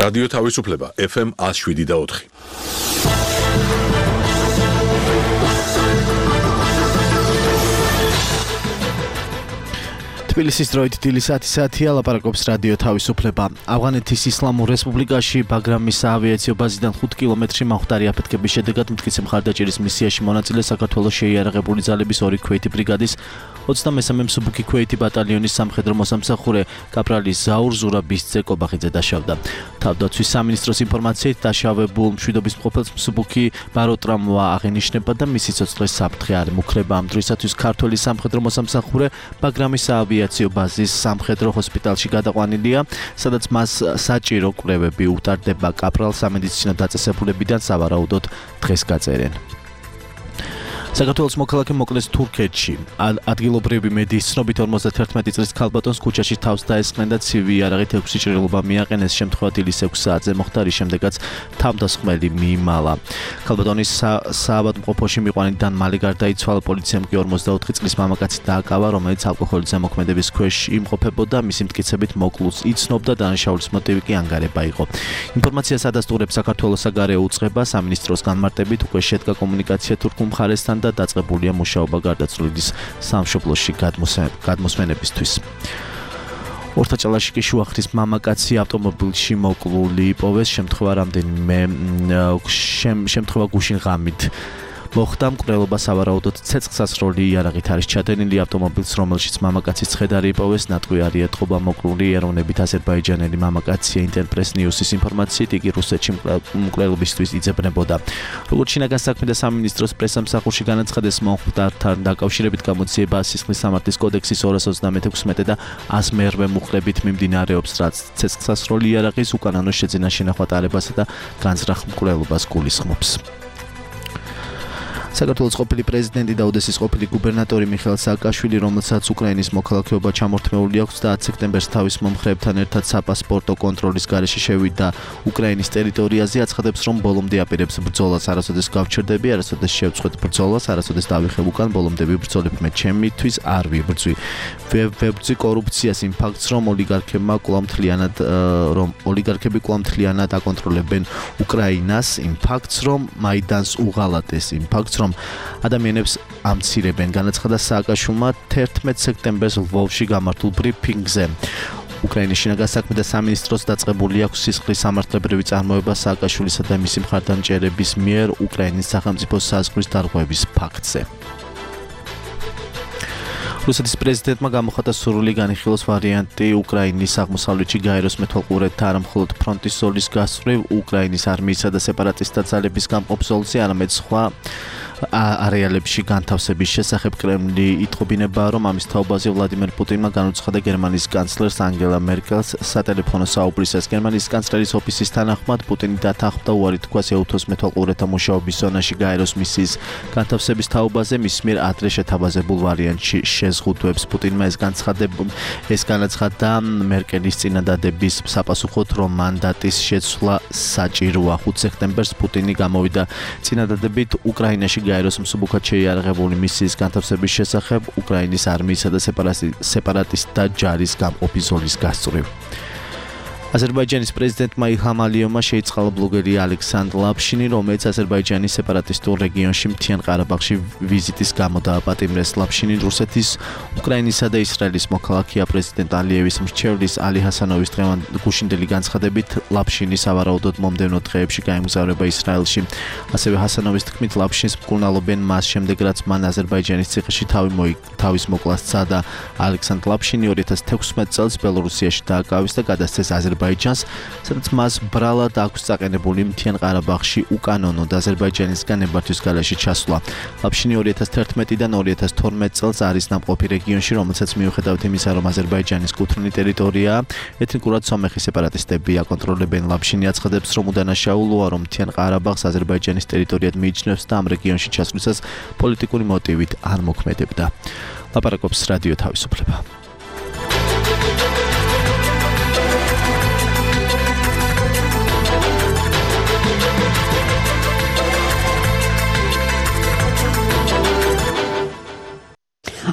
რადიო თავისუფლება FM 107.4. თბილისის დროით დილის 10-ია ლაპარაკობს რადიო თავისუფლება. ავღანეთის ისლამურ რესპუბლიკაში ბაგრამის საავიაციო ბაზიდან 5 კილომეტრი მაღდარი აფეთქების შედეგად მტკიცე მხარდაჭერის მისიაში მონაწილე საქართველოს შეიარაღებული ძალების 2 ქვეითი ბრიგადის 23-მე მსუბუქი ქვეითი ბატალიონის სამხედრო მოსამსახურე კაპრალი ზაურ ზურაბის კობახიძე დაშავდა. თავდაცვის სამინისტროს ინფორმაციით დაშავებულ მშვიდობის მყოფელს მსუბუქი ბაროტრამვა აღენიშნება და მისი ცოცხლის საფრთხე არ ემუქრება. ამ დროისათვის ქართველი სამხედრო მოსამსახურე ბაგრამის საავიაციო ბაზის სამხედრო ჰოსპიტალში გადაყვანილია, სადაც მას საჭირო კვლევები უტარდება. კაპრალ სამედიცინო დაწესებულებიდან სავარაუდოდ დღეს გაწერენ. საქართველოს მოქალაქე მოკლეს თურქეთში. ადგილობრივი მედიის ცნობით 51 წლის ქალბატონს ქუჩაში თავს დაესხნენ და ცივი იარაღით 6 ჭრილობა მიაყენეს. შემთხვევა დილის 6 საათზე მოხდა, რის შემდეგაც თავდასხმელი მიიმალა. ქალბატონის საავადმყოფოში მიყვანიდან მალე გარდაიცვალა. პოლიციამ კი 44 წლის მამაკაცი დააკავა, რომელიც ალკოჰოლის ზემოქმედების ქვეშ იმყოფებოდა. მისი მტკიცებით მოკლულს იცნობდა, დანაშაულის მოტივი კი ანგარება იყო. ინფორმაციას ადასტურებს საქართველოს საგარეო უწყება. სამინისტროს განმარტებით უკვე შედგა კომუნიკაცია თურქულ მხარესთან და დაწყებულია მუშაობა გარდაცვლილის სამშობლოში გადმოსვენებისთვის. ორთაჭალაში კი შუახრის მამაკაცი ავტომობილში მოკლული იპოვეს. შემთხვევა გუშინ ღამით მოხდა. მკვლელობა სავარაუდოდ ცეცხლსასროლი იარაღით არის ჩადენილი. ავტომობილს, რომელშიც მამაკაცის ცხედარი იპოვეს, ნატყვი არ ეტყობა. მოკლული ეროვნებით აზერბაიჯანელი მამაკაცია. ინტერპრეს ნიუსის ინფორმაციით იგი რუსეთში მკვლელობისთვის იძებნებოდა. როგორც შინაგან საქმეთა სამინისტროს პრესამსახურში განაცხადეს, მომხდართან დაკავშირებით გამოძიება სისხლის სამართლის კოდექსის 236 და 100-მერვე მუხლებით მიმდინარეობს, რაც ცეცხლსასროლი იარაღის უკანონო შეძენა შენახვა ტარებასა და განზრახ მკვლელობას გულისხმობს. საქართველოს ყოფილი პრეზიდენტი და ოდესის ყოფილი გუბერნატორი მიხეილ სააკაშვილი, რომელსაც უკრაინის მოქალაქეობა ჩამორთმეული აქვს და 10 სექტემბერს თავის მომხრეებთან ერთად საპასპორტო კონტროლის გარეშე შევიდა უკრაინის ტერიტორიაზე, აცხადებს, რომ ბოლომდე აპირებს ბრძოლას. არასოდეს გავჩერდები, არასოდეს შევწყვეტ ბრძოლას, არასოდეს დავიხებ უკან, ბოლომდე ვიბრძოლებ მე ჩემთვის არ ვიბრძვი. ვებრძვი კორუფციას, იმ ფაქტს, რომ ოლიგარქები კვლავ მთლიანად აკონტროლებენ უკრაინას, იმ ფაქტს, რომ მაიდანს უღალატეს, იმ ფაქტს, რომ ადამიანებს ამცირებენ. განაცხადა სააკაშვილმა 11 სექტემბერს ლვოვში გამართულ ბრიფინგზე. უკრაინის შინაგან საქმეთა სამინისტროს დაწყებული აქვს სისხლის სამართლებრივი წარმოება სააკაშვილისა და მისი მხარდამჭერების მიერ უკრაინის სახელმწიფო საზღვრის დარღვევის ფაქტზე. რუსეთის პრეზიდენტმა გამოხატა სურვილი განიხილოს ვარიანტი უკრაინის აღმოსავლეთში გაეროს მეთვალყურეთა არა მხოლოდ ფრონტის ზოლის გასწვრივ, უკრაინის არმიისა და სეპარატისტთა ძალების გამყოფ ზოლზე, არამედ სხვა არეალებში განთავსების შესახებ. კრემლი იტყობინება, რომ ამის თაობაზე ვლადიმერ პუტინმა განუცხადა გერმანიის კანცლერს ანგელა მერკელს სატელეფონო საუბრისას. გერმანიის კანცლერის ოფისის თანახმად პუტინი დათანხმდა უარი თქვას ეუთოს მეთვალყურეთა მუშაობის ზონაში გაეროს მისიის განთავსების თაობაზე, მის მიერ ადრე შეთავაზებულ ვარიანტში შეზღუდვებს. პუტინმა ეს განაცხადა მერკელის წინადადების sapasუხოდ, რომ მანდატის შეცვლა საჭიროა. 5 სექტემბერს პუტინი გამოვიდა წინადადებით უკრაინაში გაეროს მსუბუქად შეიარაღებული მისიის განთავსების შესახებ უკრაინის არმიისა და სეპარატისტთა ჯარის გამყოფი ზოლის გასწვრივ. აზერბაიჯანის პრეზიდენტმა ილჰამ ალიევმა შეიწყალა ბლოგერი ალექსანდრ ლაფშინი, რომელიც აზერბაიჯანის სეპარატისტულ რეგიონში მთიან ყარაბაღში ვიზიტის გამო დააპატიმრეს. ლაფშინი რუსეთის, უკრაინისა და ისრაელის მოქალაქეა. პრეზიდენტ ალიევის მრჩევლის ალი ჰასანოვის გუშინდელი განცხადებით, ლაფშინი სავარაუდოდ მომდევნო დღეებში გაემგზავრება ისრაელში. ასევე ჰასანოვის თქმით, ლაფშინს მკურნალობენ მას შემდეგ, რაც მან აზერბაიჯანის ციხეში თავის მოკლას სცადა. ალექსანდრ ლაფშინი 2016 წელს ბელორუსიაში დააკავეს და გადასცეს აზერბაიჯანს, სადაც მას ბრალად აქვს წაყენებული მთიან ყარაბაღში უკანონოდ აზერბაიჯანისგან ნებართვის გარეშე ჩასვლა. ლაფშინი 2011-დან 2012 წელს არის ნამყოფი რეგიონში, რომელსაც მიუხედავად იმისა, რომ აზერბაიჯანის კუთვნილი ტერიტორიაა, ეთნიკურად სომეხი სეპარატისტები აკონტროლებენ. ლაფშინი აცხადებს, რომ უდანაშაულოა, რომ მთიან ყარაბაღს აზერბაიჯანის ტერიტორიად მიიჩნევს და ამ რეგიონში ჩასვლისას პოლიტიკური მოტივით არ მოქმედებდა. ლაპარაკობს რადიო თავისუფლება.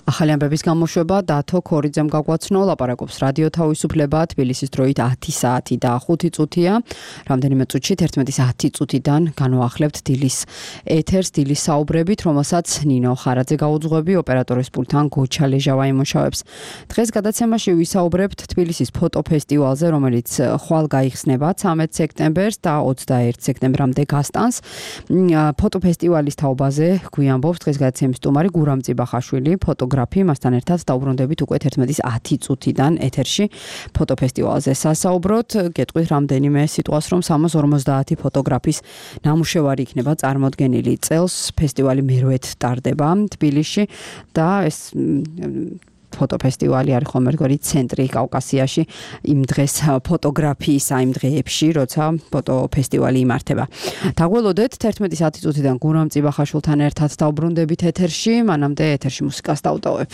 ახალი ამბების გამოშვება დათო ქორიძემ გაგვაცნო, ლაპარაკობს რადიო თავისუფლება, თბილისის დროით 10 საათი და 5 წუთია. რამდენიმე წუთში 11:10 წუთიდან განვაახლებთ დილის ეთერს, დილის საუბრებით, რომელსაც ნინო ხარაძე გაუძღვები, ოპერატორის პულტთან გოჩა ლეჟავა იმუშავებს. დღეს გადაცემაში ვისაუბრებთ თბილისის ფოტოფესტივალზე, რომელიც ხვალ გაიხსნება 13 სექტემბერს და 21 სექტემბრამდე გასტანს. ფოტოფესტივალის თაობაზე გვიამბობს დღეს გადაცემის სტუმარი გურამ წიბახაშვილი, ფოტოგრაფი, მასთან ერთად დავბრუნდებით უკვე 11:10 წუთიდან ეთერში ფოტოფესტივალზე სასაუბროთ. გეტყვით რამდენიმე სიტყვას, რომ 350 ფოტოგრაფის ნამუშევარი იქნება წარმოდგენილი წელს. ფესტივალი მერვედ ტარდება თბილისში და ეს ფოტოფესტივალი არის ხომ ერთგვარი ცენტრი კავკასიაში იმ დღეს ფოტოგრაფიის იმ დღეებში, როცა ფოტოფესტივალი იმართება. დაგველოდეთ 11:10 წუთიდან გურამ წიბახაშვილთან ერთად დავბრუნდებით ეთერში, მანამდე ეთერში მუსიკას დავტოვებ.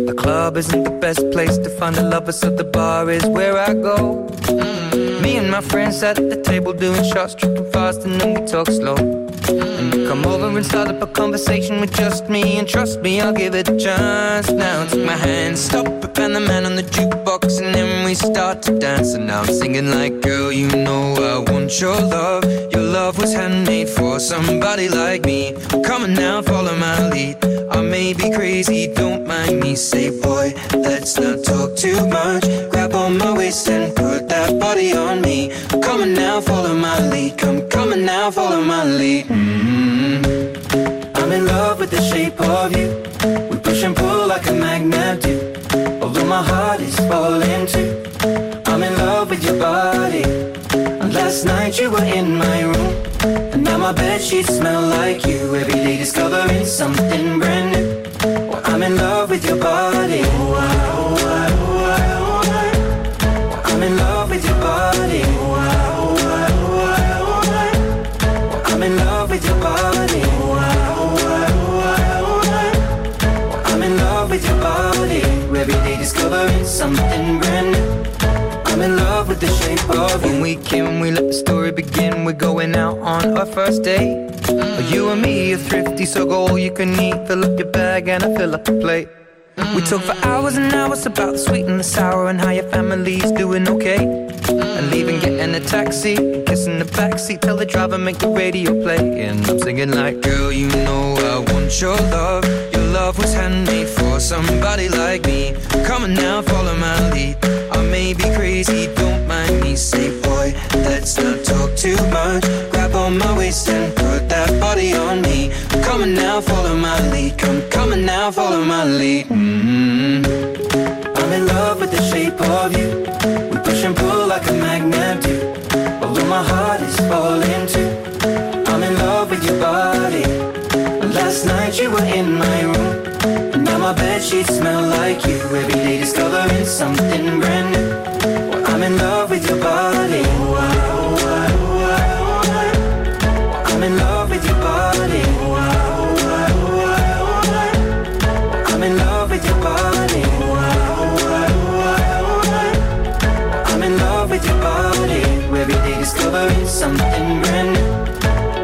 The club isn't the best place to find the lovers, so the bar is where I go. Me and my friends at the table doing shots, tripping fast, and then we talk slow. And you come over and start up a conversation with just me, and trust me, I'll give it a chance. Now take my hand, stop it, and the man on the jukebox, and then we start to dance. And now I'm singing like, girl, you know I want your love. Your love was handmade for somebody like me. Come on now, follow my lead. I may be crazy, don't mind me. Say, boy, let's not talk too much. Grab on my waist and put that body on me. Come on now, follow my lead. Come on now, follow my lead. I'm in love with the shape of you. We push and pull like a magnet do. Although my heart is falling too. I'm in love with your body. And last night you were in my room. And now my bedsheets smell like you. Every day discovering something brand new. Well, I'm in love with your body. I'm in love with your body. I'm in love with your body. I'm in love with your body. Every day discovering something brand new. I'm in love with the shape of you. When we came, we let the story begin. We're going out on our first date. You and me are thrifty, so go all you can eat. Fill up your bag and I fill up the plate. We talk for hours and hours about the sweet and the sour and how your family's doing okay. And leaving, getting a taxi, kissing the backseat, tell the driver make the radio play. And I'm singing like, girl, you know I want your love. Your love was handmade for somebody like me. Come on now, follow my lead. I may be crazy, don't mind me. Say, boy, let's not talk too much. Grab on my waist and put that body on me. Come on now, follow my lead. Come on now, follow my lead. I'm in love with the shape of you. We push and pull like a magnet do. Although my heart is falling too. I'm in love with your body. Last night you were in my room. And now my bedsheets smell like you. Every day discovering something brand new. Well, I'm in love with your body. I'm in love with your body. I'm in love with your body. I'm in love with your body. Every day discovering something brand new.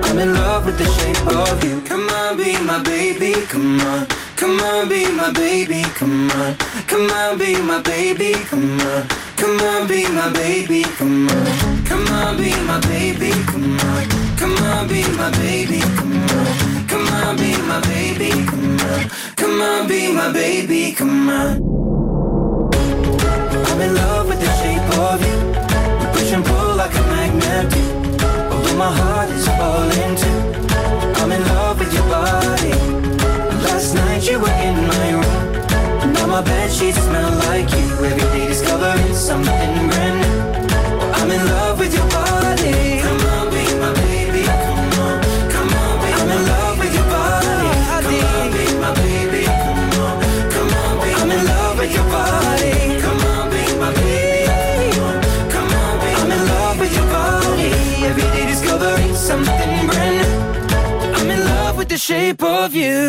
I'm in love with the shape of you. Come on, be my baby, come on. Come on, be my baby, come on. Come on, be my baby, come on. Come on, be my baby, come on. Come on, be my baby, come on. Come on, be my baby, come on. Come on, be my baby, come on. Come on, be my baby, come on. I'm in love with the shape of you. We push and pull like a magnet do. Although my heart is falling too. I'm in love with your body. Last night you were in my room. And now my bedsheets smell like you. Every day discovering something brand new. I'm in love with your body. Come on, be my baby. Come on, come on, be I'm in love with your body. Come on, be my baby. Come on, come on, be I'm in love with your body. Come on, be my baby. Come on, be I'm in love with your body. Every day discovering something brand new. I'm in love with the shape of you.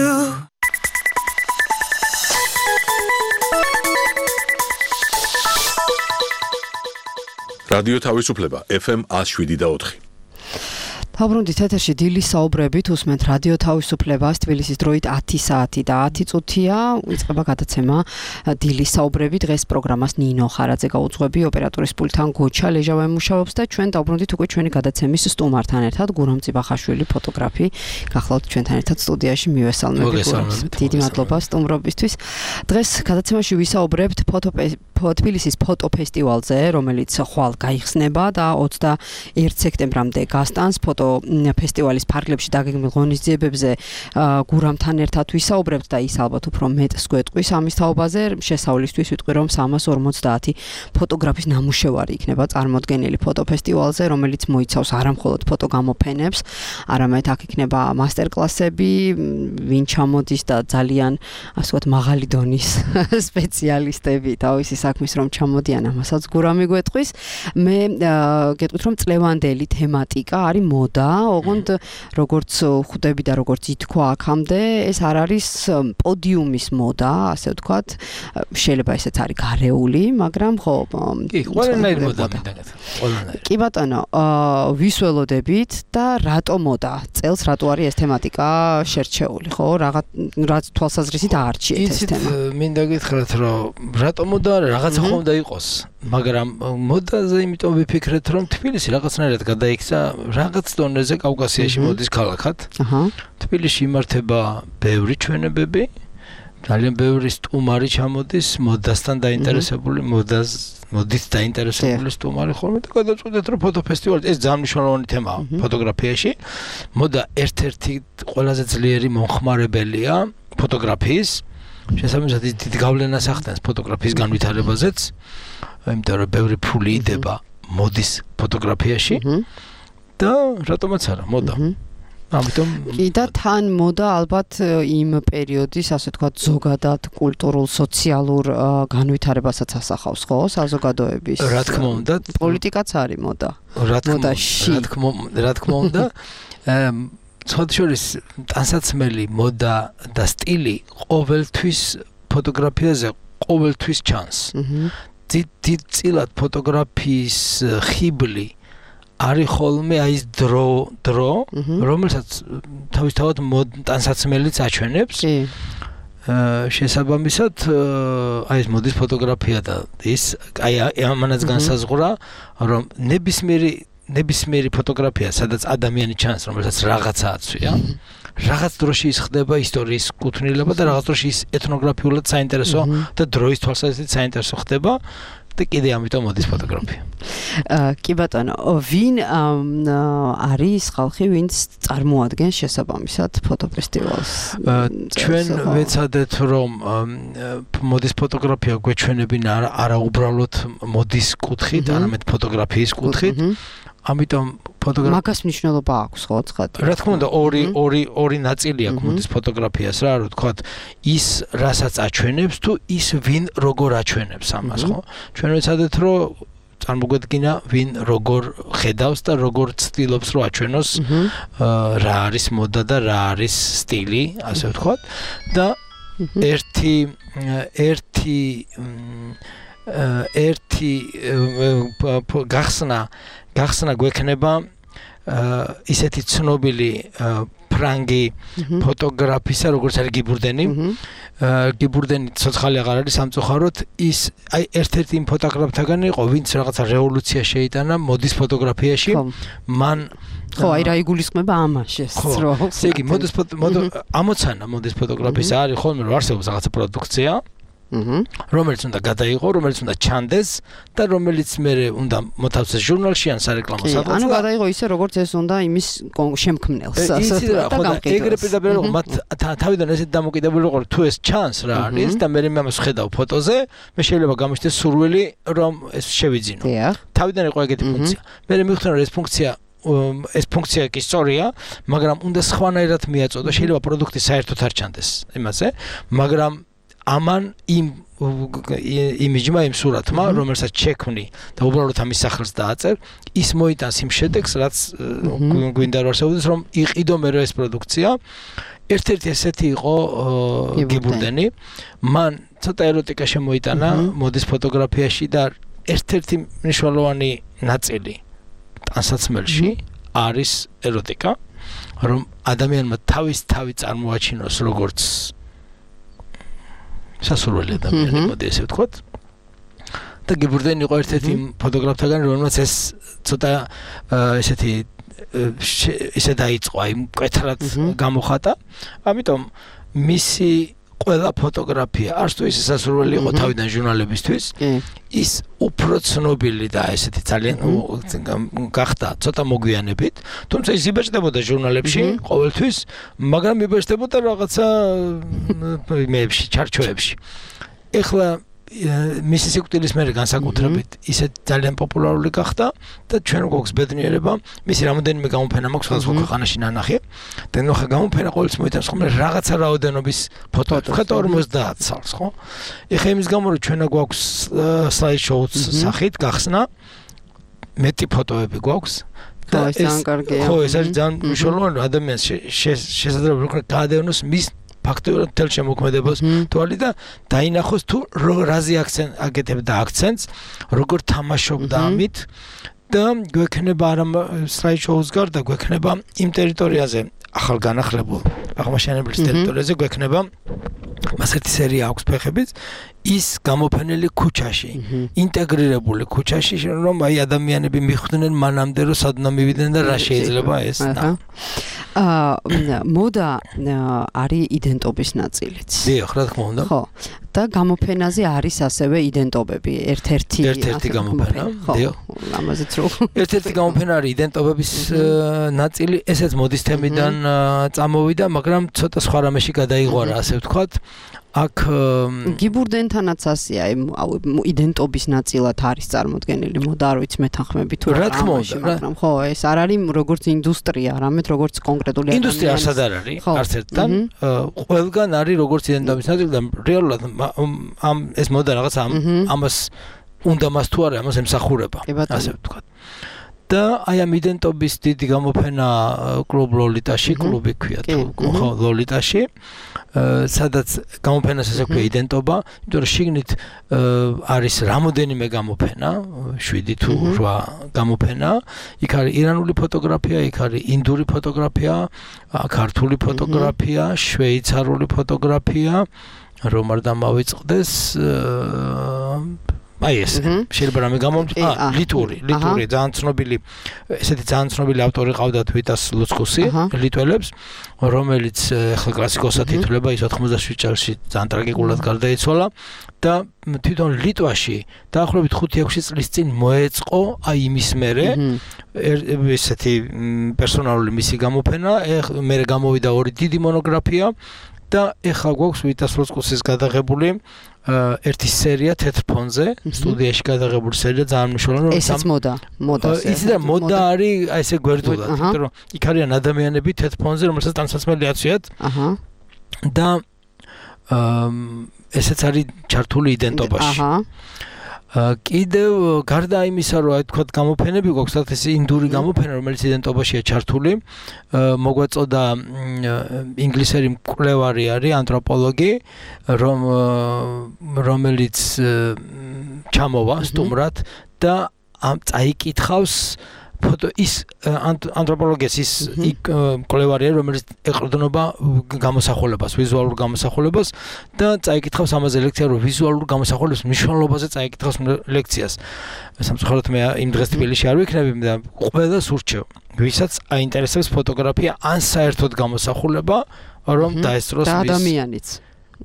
რადიო თავისუფლება FM 107.4. Თავბრუნდით ეთერში დილის საუბრებით უსმენთ რადიო თავისუფლებას თბილისის დროით 10 საათი და 10 წუთია იწყება გადაცემა დილის საუბრები დღეს პროგრამას ნინო ხარაძე გაუძღვები ოპერატორის პულტთან გოჩა ლეჟავე მუშაობს და ჩვენ დავბრუნდით უკვე ჩვენი გადაცემის სტუმართან ერთად გურამ წიბახაშვილი ფოტოგრაფი გახლავთ ჩვენთან ერთად სტუდიაში მივესალმები გურამს დიდი მადლობა სტუმრობისთვის დღეს გადაცემაში ვისაუბრებთ თბილისის ფოტო ფესტივალზე რომელიც ხვალ გაიხსნება და 21 სექტემბრამდე გასტანს ფესტივალის ფარგლებში დაგეგმილ ღონისძიებებზე გურამთან ერთად ვისაუბრებთ და ის ალბათ უფრო მეტს გვეტყვის ამის თაობაზე შესავლისთვის ვიტყვი რომ 350 ფოტოგრაფის ნამუშევარი იქნება წარმოდგენილი ფოტოფესტივალზე რომელიც მოიცავს არამხოლოდ ფოტოგამოფენებს არამედ აქ იქნება მასტერკლასები ვინ ჩამოდის და ძალიან ასე ვთქვათ მაღალი დონის სპეციალისტები თავისი საქმის რომ ჩამოდიან ამასაც გურამი გვეტყვის მე გეტყვით რომ წლევანდელი თემატიკა არის მოდა, ოღონდ როგორც ხვდები და როგორც ითქვა აქამდე, ეს არ არის პოდიუმის მოდა, ასე ვთქვათ, შეიძლება ესეც არის გარეული, მაგრამ ხო, ყველანაირი მოდა მინდა. კი ბატონო, ვისველოდებით და რატო მოდა? წელს რატო არის ეს თემატიკა შერჩეული, ხო? რაც თვალსაზრისით აარჩიეთ ეს თემა. მინდა გითხრათ, რომ რატო მოდა რაღაცა ხომ უნდა იყოს, მაგრამ მოდაზე იმიტომ ვიფიქრეთ, რომ თბილისი რაღაცნაირად გადაიქცა რაღაც დონეზე კავკასიაში მოდის ქალაქად. თბილისში იმართება ბევრი ჩვენებები, ძალიან ბევრი სტუმარი ჩამოდის, მოდასთან დაინტერესებული, მოდით დაინტერესებული სტუმარი ხოლმე და გადავწყვეტეთ რომ ფოტოფესტივალი ეს ძალიან მნიშვნელოვანი თემაა ფოტოგრაფიაში. მოდა ერთ-ერთი ყველაზე ძლიერი მომხმარებელია ფოტოგრაფიის. შესაბამისად ის დიდ გავლენას ახდენს ფოტოგრაფიის განვითარებაზეც. იმიტომ რომ ბევრი ფული იდება მოდის ფოტოგრაფიაში. და რატომაც არა მოდა ამიტომ კი და თან მოდა ალბათ იმ პერიოდის ასე ვთქვათ ზოგადად კულტურულ სოციალურ განვითარებასაც ასახავს ხო საზოგადოების რა თქმა უნდა პოლიტიკაც არის მოდა რა თქმა უნდა ცოტაშორის ტანსაცმელი მოდა და სტილი ყოველთვის ფოტოგრაფიაზე ყოველთვის ჩანს დიდ წილად ფოტოგრაფიის ხიბლი არის ხოლმე აი ეს დრო რომელსაც თავისთავად ტანსაცმელიც აჩვენებს შესაბამისად აი ეს მოდის ფოტოგრაფია და ის აი ამანაც განსაზღვრა რომ ნებისმიერი ფოტოგრაფია სადაც ადამიანი ჩანს რომელსაც რაღაცა აცვია რაღაც დროში ის ხდება ისტორიის კუთვნილება და რაღაც დროში ის ეთნოგრაფიულად საინტერესო და დროის თვალსაზრისით საინტერესო ხდება და კიდე ამიტომ მოდის ფოტოგრაფია. კი ბატონო, ვინ არის ხალხი, ვინც წარმოადგენს შესაბამისად ფოტოფესტივალს? ჩვენ ვეცადეთ რომ მოდის ფოტოგრაფია გვეჩვენებინა არა უბრალოდ მოდის კუთხით, არამედ ფოტოგრაფიის კუთხით. ამიტომ მაგას მნიშვნელობა აქვს ხო ცხადია. რა თქმა უნდა ორი ნაწილი აქვს მოდის ფოტოგრაფიას რა ვთქვათ ის რასაც აჩვენებს თუ ის ვინ როგორ აჩვენებს ამას ხო ჩვენ ვეცადეთ რომ წარმოგვედგინა ვინ როგორ ხედავს და როგორ ცდილობს რომ აჩვენოს რა არის მოდა და რა არის სტილი ასე ვთქვათ და ერთი გახსნა გვექნება ისეთი ცნობილი ფრანგი ფოტოგრაფისა როგორც არის გიბურდენი გიბურდენი ცოცხალი აღარ არის სამწუხაროდ ის აი ერთ-ერთი იმ ფოტოგრაფთაგან იყო ვინც რაღაცა რევოლუცია შეიტანა მოდის ფოტოგრაფიაში მან ხო აი რა იგულისხმება ამაში რომ ესე იგი ამოცანა მოდის ფოტოგრაფიის არის ხოლმე რომ არსებობს რაღაცა პროდუქცია რომელიც უნდა გადაიღო, რომელიც უნდა ჩანდეს და რომელიც მე უნდა მოთავსეს ჟურნალში ან სარეკლამო სადღაც. ანუ გადაიღო ისე როგორც ეს უნდა იმის შემქმნელს. ეგრე პირდაპირ მათ თავიდან ესეთ დამოკიდებული ვიყო თუ ეს ჩანს რა არის და მე ამას ხედავ ფოტოზე, მე შეიძლება გამიშდეს სურვილი რომ ეს შევიძინო. თავიდან იყო ეგეთი ფუნქცია. მე მივხვდი რომ ეს ფუნქცია კი სწორია, მაგრამ უნდა სხვანაირად მიაწოდო, შეიძლება პროდუქტი საერთოდ არ ჩანდეს იმაზე, მაგრამ ამან იმ იმიჯმა იმ სურათმა, რომელსაც შექმნი და უბრალოდ ამის სახელს დააწერ, ის მოიტანს იმ შედეგს, რაც გვინდა რომ არსებობდეს, რომ იყიდო მე ეს პროდუქცია. ერთ-ერთი ესეთი იყო გიბურდენი, მან ცოტა ეროტიკა შემოიტანა მოდის ფოტოგრაფიაში და ერთ-ერთი მნიშვნელოვანი ნაწილი ტანსაცმელში არის ეროტიკა, რომ ადამიანმა თავი წარმოაჩინოს როგორც სასურველი ადამიანი, მოდი ესე ვთქვათ. და გიბურდენ იყო ერთ-ერთი ფოტოგრაფთაგან, რომელმაც ეს ცოტა ესეთი ისე დაიწყო, აი მკვეთრად გამოხატა. ამიტომ მისი ყველა ფოტოგრაფია არც თუ ისე სასურველი იყო თავიდან ჟურნალებისთვის, ის უფრო ცნობილი და ესეთი ძალიან გახდა ცოტა მოგვიანებით, თუმცა ის იბეჭდებოდა ჟურნალებში ყოველთვის, მაგრამ იბეჭდებოდა რაღაცა მეებში, ჩარჩოებში. ეხლა მისი სიკვდილის მერე განსაკუთრებით ისე ძალიან პოპულარული გახდა და ჩვენ გვაქვს ბედნიერება, მისი რამოდენიმე გამოფენა მაქვს სხვადასხვა ქვეყანაში ნანახი და ნახე გამოფენა ყოველთვის მოიტანს ხოლმე რაღაცა რაოდენობის ფოტოებს, ხეთ 50 წელს, ხო? ეხლა იმის გამო რომ ჩვენა გვაქვს slide show-ს სახით გახსნა, მეტი ფოტოები გვაქვს და ხო, ეს არის ძალიან მნიშვნელოვანი ადამიანს შესაძლებელი რომ გაადევნოს მის ფაქტობრივად მთელ შემოქმედებას თვალი და დაინახოს თუ რაზე აკეთებდა აქცენტს, როგორ თამაშობდა ამით და გვექნება არა slide show-ს გარდა გვექნება იმ ტერიტორიაზე ახალ განახლებულ აღმაშენებლის ტერიტორიაზე გვექნება მას ერთი სერია აქვს ფეხებიც ის გამოფენილი ქუჩაში ინტეგრირებული ქუჩაში რომ აი ადამიანები მიხვდნენ მანამდე რომ სადნა მივიდნენ და რა შეიძლება ეს მოდა არის იდენტობის ნაწილიც. დიახ, რა თქმა უნდა. ხო. და გამოფენაზე არის ასევე იდენტობები, ერთ-ერთი გამოფენა. დიახ. ამაზეც რო. ერთ-ერთი გამოფენა არის იდენტობების ნაწილი, ესეც მოდის თემიდან წამოვიდა, მაგრამ ცოტა სხვა რამეში გადაიღვარა, ასე ვთქვათ. აქ გიბურდენთანაც ასეა, იდენტობის ნაწილად არის წარმოდგენილი მოდა, არ ვიცი მეთანხმები თუ რა თქმა უნდა, მაგრამ ხო, ეს არ არის როგორც ინდუსტრია, არამედ როგორც კონკრეტული ადამიანი. ინდუსტრია არც არ არის, არც ერთთან, ყველგან არის როგორც იდენტობის ნაწილი და რეალურად ამ ეს მოდა რაღაც ამას უნდა მას თუ არა, ამას ემსახურება, ასე ვთქვათ. და აი ამ იდენტობის დიდი გამოფენა კლუბ ლოლიტაში, კლუბი ქვია თუ ხო ლოლიტაში, სადაც გამოფენას ესე ქვია იდენტობა, იმიტომ რომ შიგნით არის რამოდენიმე გამოფენა, 7 თუ 8 გამოფენა, იქ არის ირანული ფოტოგრაფია, იქ არის ინდური ფოტოგრაფია, ქართული ფოტოგრაფია, შვეიცარიული ფოტოგრაფია, რომ არ დამავიწყდეს აი ეს შეიძლება რამე ლიტური ძალიან ცნობილი ესეთი ძალიან ცნობილი ავტორი ყავდათ ვიტას ლუცკუსი ლიტველებს რომელიც ახლა კლასიკოსად ითვლება ის 87 წელს ძალიან ტრაგიკულად გარდაიცვალა და თვითონ ლიტვაში დაახლოებით 5-6 წლის წინ მოეწყო აი იმის მერე ესეთი პერსონალური მისი გამოფენა მერე გამოვიდა ორი დიდი მონოგრაფია და ეხლა გვაქვს ვიტას ლუცკუსის გადაღებული ერთი სერია თეთრ ფონზე სტუდიაში გადაღებული სერია ძალიან მნიშვნელოვანი ესეც მოდა იცი და მოდა არის აი ესე გვერდულად იმიტომ რომ იქ არიან ადამიანები თეთრ ფონზე რომელსაც ტანსაცმელი აცვიათ და ესეც არის ჩართული იდენტობაში კიდევ გარდა იმისა რომ აი თქვა გამოფენები გვაქვს ეს ინდური გამოფენა რომელიც იდენტობაშია ჩართული მოგვაწოდა ინგლისელი მკვლევარი არის ანთროპოლოგი რომელიც ჩამოვა სტუმრად და წაიკითხავს ფოტო ის ანთროპოლოგიის ის მკვლევარია რომელიც ეყრდნობა გამოსახულებას ვიზუალურ გამოსახულებას და წაიკითხავს ამაზე ლექცია რომ ვიზუალურ გამოსახულების მნიშვნელობაზე წაიკითხავს ლექციას სამწუხაროდ მე იმ დღეს თბილისში არ ვიქნები და ყველას ურჩევ ვისაც აინტერესებს ფოტოგრაფია ან საერთოდ გამოსახულება რომ დაესწროს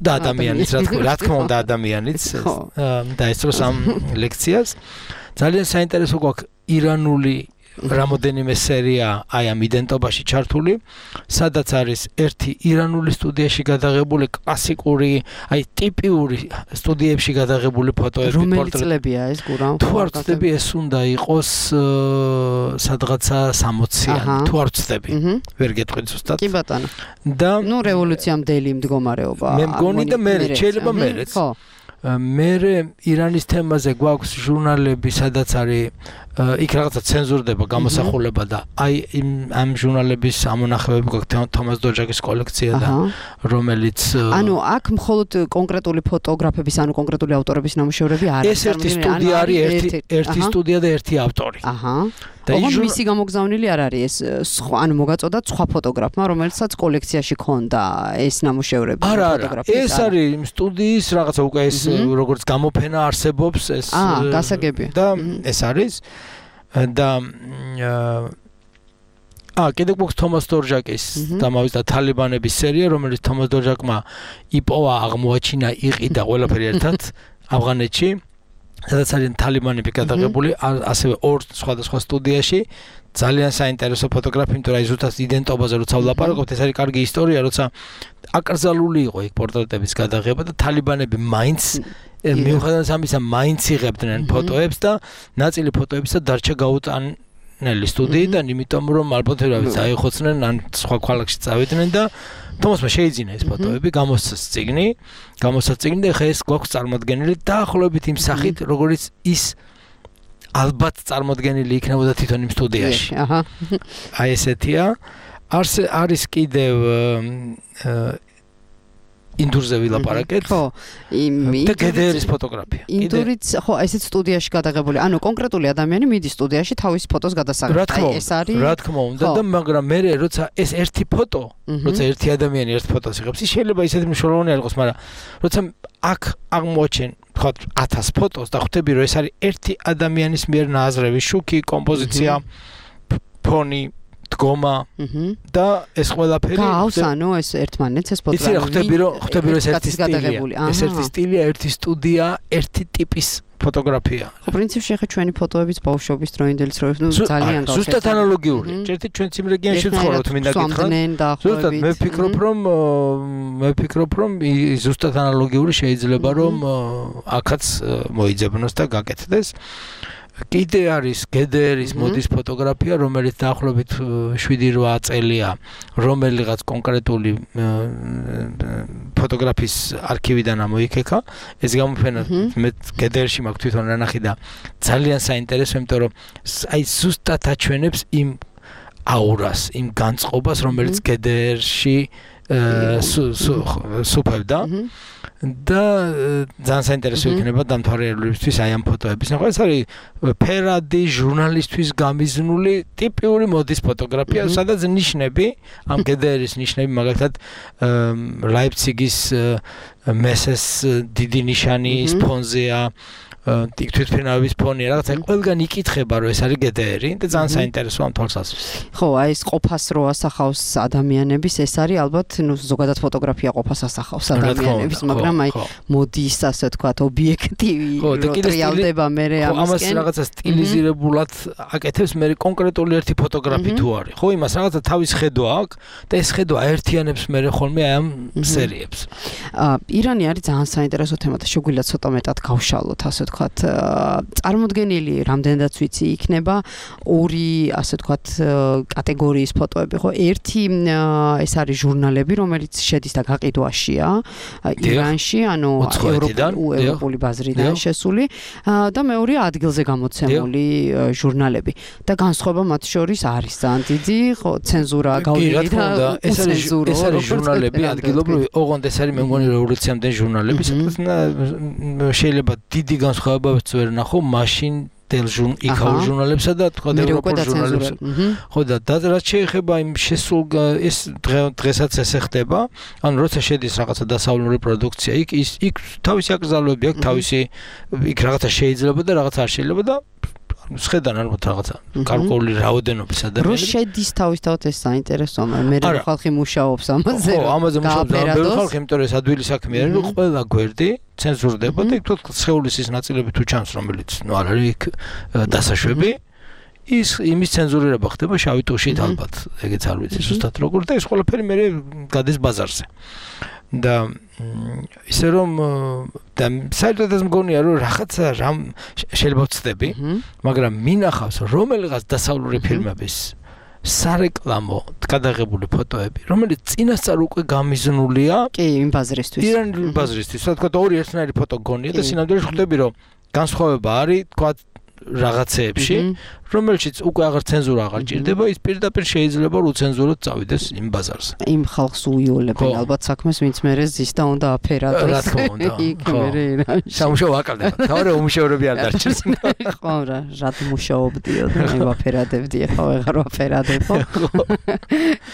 და ადამიანიც რა თქმა უნდა ადამიანიც დაესწროს ამ ლექციას ძალიან საინტერესო გვაქვს ირანული რამოდენიმე სერია აი ამ იდენტობაში ჩართული, სადაც არის ერთი ირანული სტუდიაში გადაღებული კლასიკური, აი ტიპიური სტუდიებში გადაღებული ფოტოები, რომელი წლებია ეს გურამ? თუ არ ვცდები ეს უნდა იყოს სადღაცა 60-იანი, თუ არ ვცდები. ვერ გეტყვით ზუსტად. კი ბატონო. და ნუ რევოლუციამდელი მდგომარეობა. მე მგონი და მე შეიძლება მერეც. მერე ირანის თემაზე გვაქვს ჟურნალები, სადაც არის იქ რაღაცა ცენზურდება გამოსახულება და აი ამ ჟურნალების ამონახებები გვაქვს თომას დოჯაკის კოლექცია და რომელიც ანუ აქ მხოლოდ კონკრეტული ფოტოგრაფების ანუ კონკრეტული ავტორების ნამუშევრები არ არის. ეს ერთი სტუდია არის, ერთი სტუდია და ერთი ავტორი. და მისი გამოგზავნილი არ არის ეს ანუ მოგაწოდათ სხვა ფოტოგრაფმა რომელსაც კოლექციაში ქონდა ეს ნამუშევრები ფოტოგრაფიის. ეს არის სტუდიის რაღაცა უკვე ეს როგორც გამოფენა არსებობს ეს გასაგები. და ეს არის და კიდევ გვაქვს თომას დორჟაკის დამავის და თალიბანების სერია, რომელიც თომას დორჟაკმა იპოვა, აღმოაჩინა, იყიდა ყველაფერი ერთად ავღანეთში. სადაც არის თალიბანები გადაღებული, ასევე ორ სხვადასხვა სტუდიაში. ძალიან საინტერესო ფოტოგრაფია, იმიტომ რომ ზუსტად იდენტობაზე როცა ვლაპარაკობთ, ეს არის კარგი ისტორია, როცა აკრძალული იყო იქ პორტრეტების გადაღება და თალიბანები მაინც მიუხედავად ამისა მაინც იღებდნენ ფოტოებს და ნაწილი ფოტოებისა დარჩა გაუტანელი სტუდიიდან, იმიტომ რომ ალბათ ვერავის აიხოცნენ ან სხვა ქალაქში წავიდნენ და თომასმა შეიძინა ეს ფოტოები, გამოსცა წიგნი და ხა ეს გვაქვს წარმოდგენილი დაახლოებით იმ სახით, როგორც ის ალბათ წარმოდგენილი იქნებოდა თვითონ იმ სტუდიაში. აი ესეთია. არის კიდევ ინდურზე ვილაპარაკეთ. ხო, და გედერის ფოტოგრაფია. ინდურიც ხო, ესეც სტუდიაში გადაღებული. ანუ კონკრეტული ადამიანი მიდის სტუდიაში თავის ფოტოს გადასაღებს. აი ეს არის. რა თქმა უნდა და მაგრამ მე როცა ეს ერთი ფოტო, როცა ერთი ადამიანი ერთ ფოტოს იღებს, ის შეიძლება ისეთი მნიშვნელოვანი არ იყოს, მაგრამ როცა აქ აღმოაჩენ ხო 1000 ფოტოს და ხვდები რომ ეს არის ერთი ადამიანის მიერ ნააზრევი შუქი, კომპოზიცია, ფონი, დგომა და ეს ყველაფერი გავს ანუ ეს ერთმანეთს ეს ფოტო. ხვდები რომ ეს ერთი სტილია. ეს ერთი სტილია, ერთი სტუდია, ერთი ტიპის ფოტოგრაფია. ხო, პრინციპში ხა ჩვენი ფოტოებიც ბავშვობის დროინდელი ცხოველს ძალიან გავხსენე. ზუსტად ანალოგიური. ერთი ჩვენ იმ რეგიონში ვცხოვრობთ, მინდა გითხრათ. ზუსტად მე ვფიქრობ რომ ზუსტად ანალოგიური შეიძლება რომ აქაც მოიძებნოს და გაკეთდეს. კიდე არის გედერის მოდის ფოტოგრაფია, რომელიც დაახლოებით 7-8 წელია, რომელიღაც კონკრეტული ფოტოგრაფის არქივიდან ამოიქეკა. ეს გამოფენა მე გედერში მაქვს თვითონ ნანახი და ძალიან საინტერესო, იმიტომ რომ აი ზუსტად აჩვენებს იმ აურას, იმ განწყობას, რომელიც გედერში სუფევდა. და ძალიან საინტერესო იქნება დამთვალიერებლებისთვის აი ამ ფოტოების ნახვა. ეს არის ფერადი ჟურნალისტვის გამიზნული ტიპიური მოდის ფოტოგრაფია, სადაც ნიშნები, ამ გედერის ნიშნები, მაგალითად ლაიფციგის მესეს დიდი ნიშანი ფონზეა, თვითფრინავების ფონი, რაღაცა ყველგან იკითხება, რომ ეს არის გედერი და ძალიან საინტერესო ამ თვალსაზრისით. ხო, აი ეს ყოფას რო ასახავს ადამიანების, ეს არის ალბათ, ნუ ზოგადად ფოტოგრაფია ყოფას ასახავს ადამიანების, მაგრამ აი მოდის, ასე ვთქვათ, ობიექტივი რო ტრიალდება მერე ამისკენ. ამას რაღაცა სტილიზირებულად აკეთებს მე კონკრეტული ერთი ფოტოგრაფი თუ არის. ხო, იმას რაღაცა თავის ხედვა აქვს და ეს ხედვა აერთიანებს მე ხოლმე აი ამ სერიებს. ირანი არის ძალიან საინტერესო თემა და შეგვიძლია ცოტა მეტად გავშალოთ, ასე ვთქვათ, წარმოდგენილი რამდენადაც ვიცი იქნება ორი, ასე ვთქვათ, კატეგორიის ფოტოები, ხო? ერთი ეს არის ჟურნალები, რომელიც შედის და გაყიდვაშია ირანში, ანუ ევროპული ბაზრიდან შესული და მეორე ადგილზე გამოცემული ჟურნალები. და განსხვავება მათ შორის არის ძალიან დიდი, ხო, ცენზურა გაუვირი და ეს არის ჟურნალები ადგილობრივი, ოღონდ ეს არის მე მგონი რევოლუციამდელი ჟურნალები, შეიძლება დიდი განსხვავებაც ვერ ნახო მაშინ იქაურ ჟურნალებსა და თქვა ევროპულ ჟურნალებსა. ხო და რაც შეეხება იმ შესულ ეს დღესაც ესე ხდება, ანუ როცა შედის რაღაცა დასავლური პროდუქცია, იქ თავისი აკრძალვები აქვს, თავისი იქ რაღაცა შეიძლება და რაღაცა არ შეიძლება და შეხედან ალბათ რაღაცა გარკვეული რაოდენობის ადამიანები. რო შედის თავისთავად ეს საინტერესოა, მე ხალხი მუშაობს ამაზე. ხო, ამაზე მუშაობს ბევრი ხალხი, იმიტომ რომ ეს ადვილი საქმე არის, რომ ყველა გვერდი ცენზურდება და იქ თქო სხეულის ის ნაწილები თუ ჩანს, რომელიც ნუ არ არის იქ დასაშვები. იმის ცენზურირება ხდება შავი ტუშით ალბათ, ეგეც არ ვიცი ზუსტად როგორ და ეს ყველაფერი მე გადის ბაზარზე. და ისე რომ და საერთოდ მგონია რომ რაღაცა რამ შეიძლება ვწდები, მაგრამ მინახავს რომელიღაც დასავლური ფილმების სარეკლამო გადაღებული ფოტოები, რომელიც წინასწარ უკვე გამიზნულია კი იმ ბაზრისთვის. ირანული ბაზრისთვის, რა თქმა უნდა, ორი ერთნაირი ფოტო გონია და სინამდვილეში ხვდები რომ განსხვავება არის, თქვა რაღაცეებში, რომელშიც უკვე აღარ ცენზურა აღარ ჭირდება, ის პირდაპირ შეიძლება უცენზუროდ წავიდეს იმ ბაზარზე. იმ ხალხს უიოლებენ ალბათ საქმეს, ვინც მერე ზის და უნდა აფერადოს. რა თქმა უნდა. ხო. სამუშაო აკალდება. თავი უმუშევრები არ დარჩეს. ხო რა, რად მუშაობდიო და მე ვაფერადებდი, ხო ვეღარ ვაფერადებო.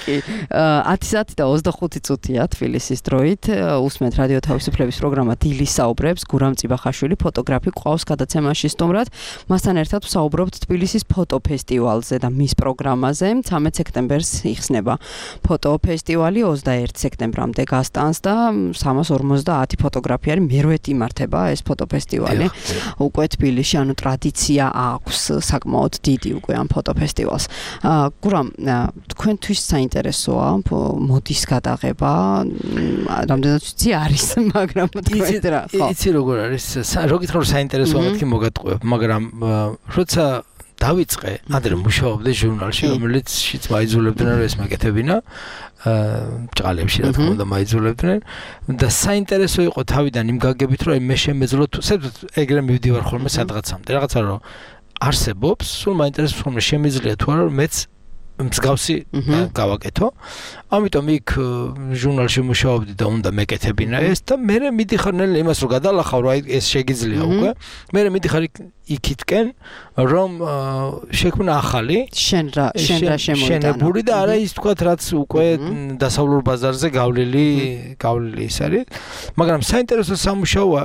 კი. 10 საათი და 25 წუთია თბილისის დროით. უსმენთ რადიო თავისუფლების პროგრამა დილის საუბრებს. გურამ წიბახაშვილი ფოტოგრაფი ყავს გადაცემაში სტუმრად. მასთან ერთად ვსაუბრობთ თბილისის ფოტოფესტივალზე და მის პროგრამაზე. 13 სექტემბერს იხსნება ფოტოფესტივალი, 21 სექტემბრამდე გასტანს და 350 ფოტოგრაფი არის მერვეთი იმართება ეს ფოტოფესტივალი. უკვე თბილისში ანუ ტრადიცია აქვს საკმაოდ დიდი უკვე ამ ფოტოფესტივალს. გურამ, თქვენთვის საინტერესოა მოდის გადაღება, რამდენად ვიცი არის, მაგრამ თქვენ რა ხო. იცი როგორ არის, როგითხრა რომ საინტერესოა მეთქი მოგატყუებ, მაგრამ როცა დავიწყე, ადრე მუშაობდი ჟურნალში, რომელიც შიც მაიძულებდნენ რომ ეს მაკეთებინა, ჭყალებში რა თქმა უნდა მაიძულებდნენ და საინტერესო იყო თავიდან იმ გაგებით რომ მე შემეძლო საერთოდ ეგრე მივდივარ ხოლმე სადღაცამდე, რაღაცა რომ არსებობს, სულ მაინტერესებს ხოლმე შემიძლია თუ არა რომ მეც მსგავსი გავაკეთო. ამიტომ იქ ჟურნალში მუშაობდი და უნდა მეკეთებინა ეს და მე მიდიხარ ნელ იმას რომ გადალახავ რომ აი ეს შეგიძლია უკვე. მე მიდიხარ იქითკენ რომ შექმნა ახალი შენ რა შემოიტანა. შენებული და არა ის თქვათ რაც უკვე დასავლურ ბაზარზე გავლილი ის არის. მაგრამ საინტერესო სამუშაოა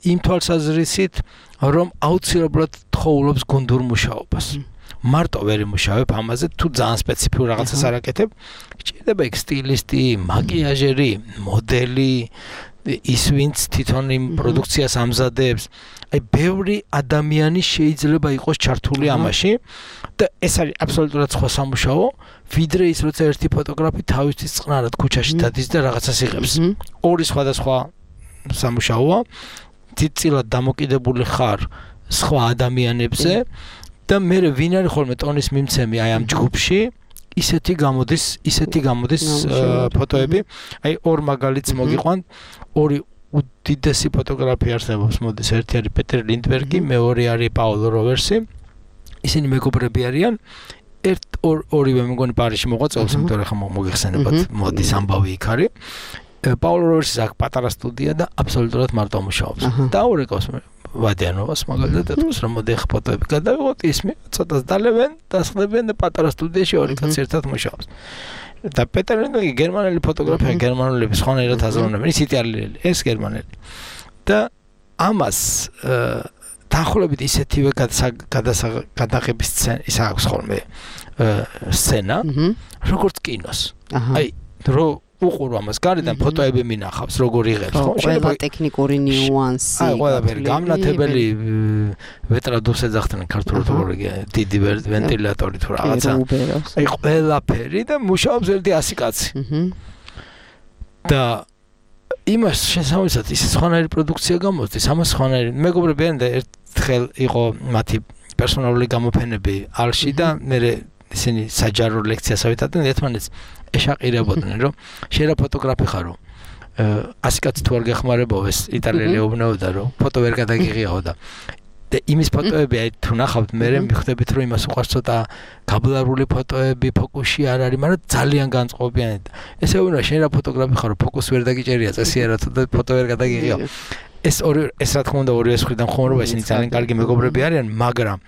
იმ თვალსაზრისით რომ აუცილებლად თხოვლობს გუნდურ მუშაობას. მარტო ვერ იმუშავებ ამაზე თუ ძალიან სპეციფიურ რაღაცას არ აკეთებ. გჭირდება იქ სტილისტი, მაკიაჟერი, მოდელი, ის ვინც თვითონ იმ პროდუქციას ამზადებს. აი ბევრი ადამიანი შეიძლება იყოს ჩართული ამაში და ეს არის აბსოლუტურად სხვა სამუშაო, ვიდრე ის როცა ერთი ფოტოგრაფი თავისთვის წყნარად ქუჩაში დადის და რაღაცას იღებს. ორი სხვადასხვა სამუშაოა. დიდწილად დამოკიდებული ხარ სხვა ადამიანებზე. და მე ვინ არის ხოლმე ტონის მიმცემი აი ამ ჯგუფში ისეთი გამოდის ფოტოები აი ორ მაგალითს მოგიყვანთ ორი უდიდესი ფოტოგრაფი არსებობს მოდის ერთი არის პეტერ ლინდბერგი მეორე არის პაოლო როვერსი ისინი მეგობრები არიან ორივე მეგონი პარიზში მოღვაწეობს იმიტომ რომ ხომ მოგიხსენებათ მოდის ამბავი იქ არის პაოლო როვერსის აქ პატარა სტუდია და აბსოლუტურად მარტო მუშაობს და ურეკავს ვადიანოვას მაგალითად ეთქოს რომ მოდი ხ ფოტოები გადავიღოთ ისმე ცოტას დალებენ დასხდებენ და პატარა სტუდიაში ორი კაცი ერთად მუშაობს და პეტერ ლინდბერგი გერმანელი ფოტოგრაფია გერმანელები სხვანაირად აზროვნებენ ის იტალიელი ეს გერმანელი და ამას დაახლოებით ისეთივე გადაღების ის აქვს ხოლმე სცენა როგორც კინოს აი რო უყურო ამას გარედან ფოტოები მინახავს როგორ იღებს ხო შეიძლება ტექნიკური ნიუანსი აი ყველაფერი გამნათებელი ვეტრადოს ეძახდნენ ქართულად როგორ დიდი ვენტილატორი თუ რაღაცა აი ყველაფერი და მუშაობს ერთი 100 კაცი და იმას შესაძლოა ის სხვანაირი პროდუქცია გამოსდის ამას სხვანაირი მეგობრები არიან და ერთხელ იყო მათი პერსონალური გამოფენები ალში და მე ისინი საჯარო ლექციას ავიტანდნენ ერთმანეთს ეშაყირებოდნენ რომ შეიძლება ფოტოგრაფი ხარო 100 კაცი თუ არ გეხმარებო ეს იტალიელი უბნეოდა რომ ფოტო ვერ გადაგიღიაო და იმის ფოტოები აი თუ ნახავთ მე მიხვდებით რომ იმას უყარს ცოტა გაბლარული ფოტოები ფოკუსში არ არის მაგრამ ძალიან განწყობიანი ესე უნდა შეიძლება ფოტოგრაფი ხარო ფოკუსი ვერ დაგიჭერია წესიერად და ფოტო ვერ გადაგიღიაო ეს რა თქმა უნდა ორივე მხრიდან ხომრობა ისინი ძალიან კარგი მეგობრები არიან მაგრამ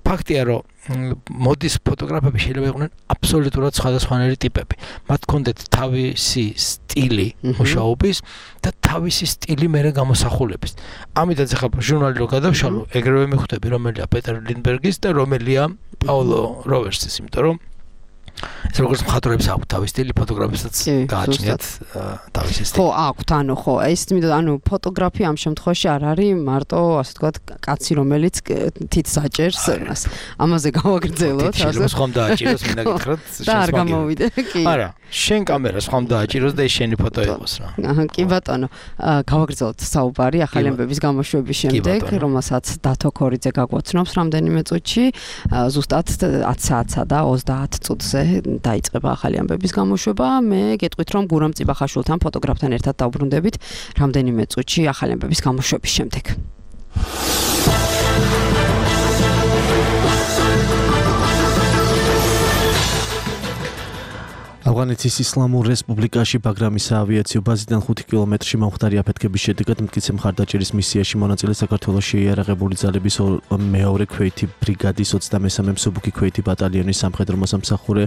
ფაქტია რომ მოდის ფოტოგრაფები შეიძლება იყვნენ აბსოლუტურად სხვადასხვანაირი ტიპები მათ ჰქონდათ თავისი სტილი მუშაობის და თავისი სტილი მერე გამოსახულების ამიტაც ახლა ჟურნალი რო გადავშალო ეგრევე მიხვდები რომელია პეტერ ლინდბერგის და რომელია პაოლო როვერსის იმიტომ რომ ეს როგორც მხატვრებს აქვს თავის სტილი ფოტოგრაფისაც გააჩნიათ თავისი სტილი. ხო, აქვთ, ხო, ეს ანუ ფოტოგრაფი ამ შემთხვევაში არ არის მარტო, ასე ვთქვათ, კაცი რომელიც თითს აჭერს, ამაზე გავაგრძელოთ, ასე. ხომ დააჭიროს, მინდა გითხრათ, და არ გამოვიდე, კი. არა, შენ კამერას ხომ დააჭიროს და ეს შენი ფოტო იყოს რა. კი ბატონო, გავაგრძელოთ საუბარი ახალი ამბების გამოშვების შემდეგ, რომელსაც დათო ქორიძე გაგვაცნობს რამდენიმე წუთში, ზუსტად 10 საათსა და 30 წუთზე დაიწყება ახალი ამბების გამოშვება. მე გეტყვით რომ გურამ წიბახაშვილთან ფოტოგრაფთან ერთად დავბრუნდებით რამდენიმე წუთში ახალი ამბების გამოშვების შემდეგ. ავღანეთის ისლამურ რესპუბლიკაში ბაგრამის აავიაციო ბაზიდან 5 კილომეტრში მომხდარი აფეთქების შედეგად მტკიცე მხარდაჭერის მისიაში მონაწილე საქართველოს შეიარაღებული ძალების მეორე ქვეითი ბრიგადის 23-მე მსუბუქი ქვეითი ბატალიონის სამხედრო მოსამსახურე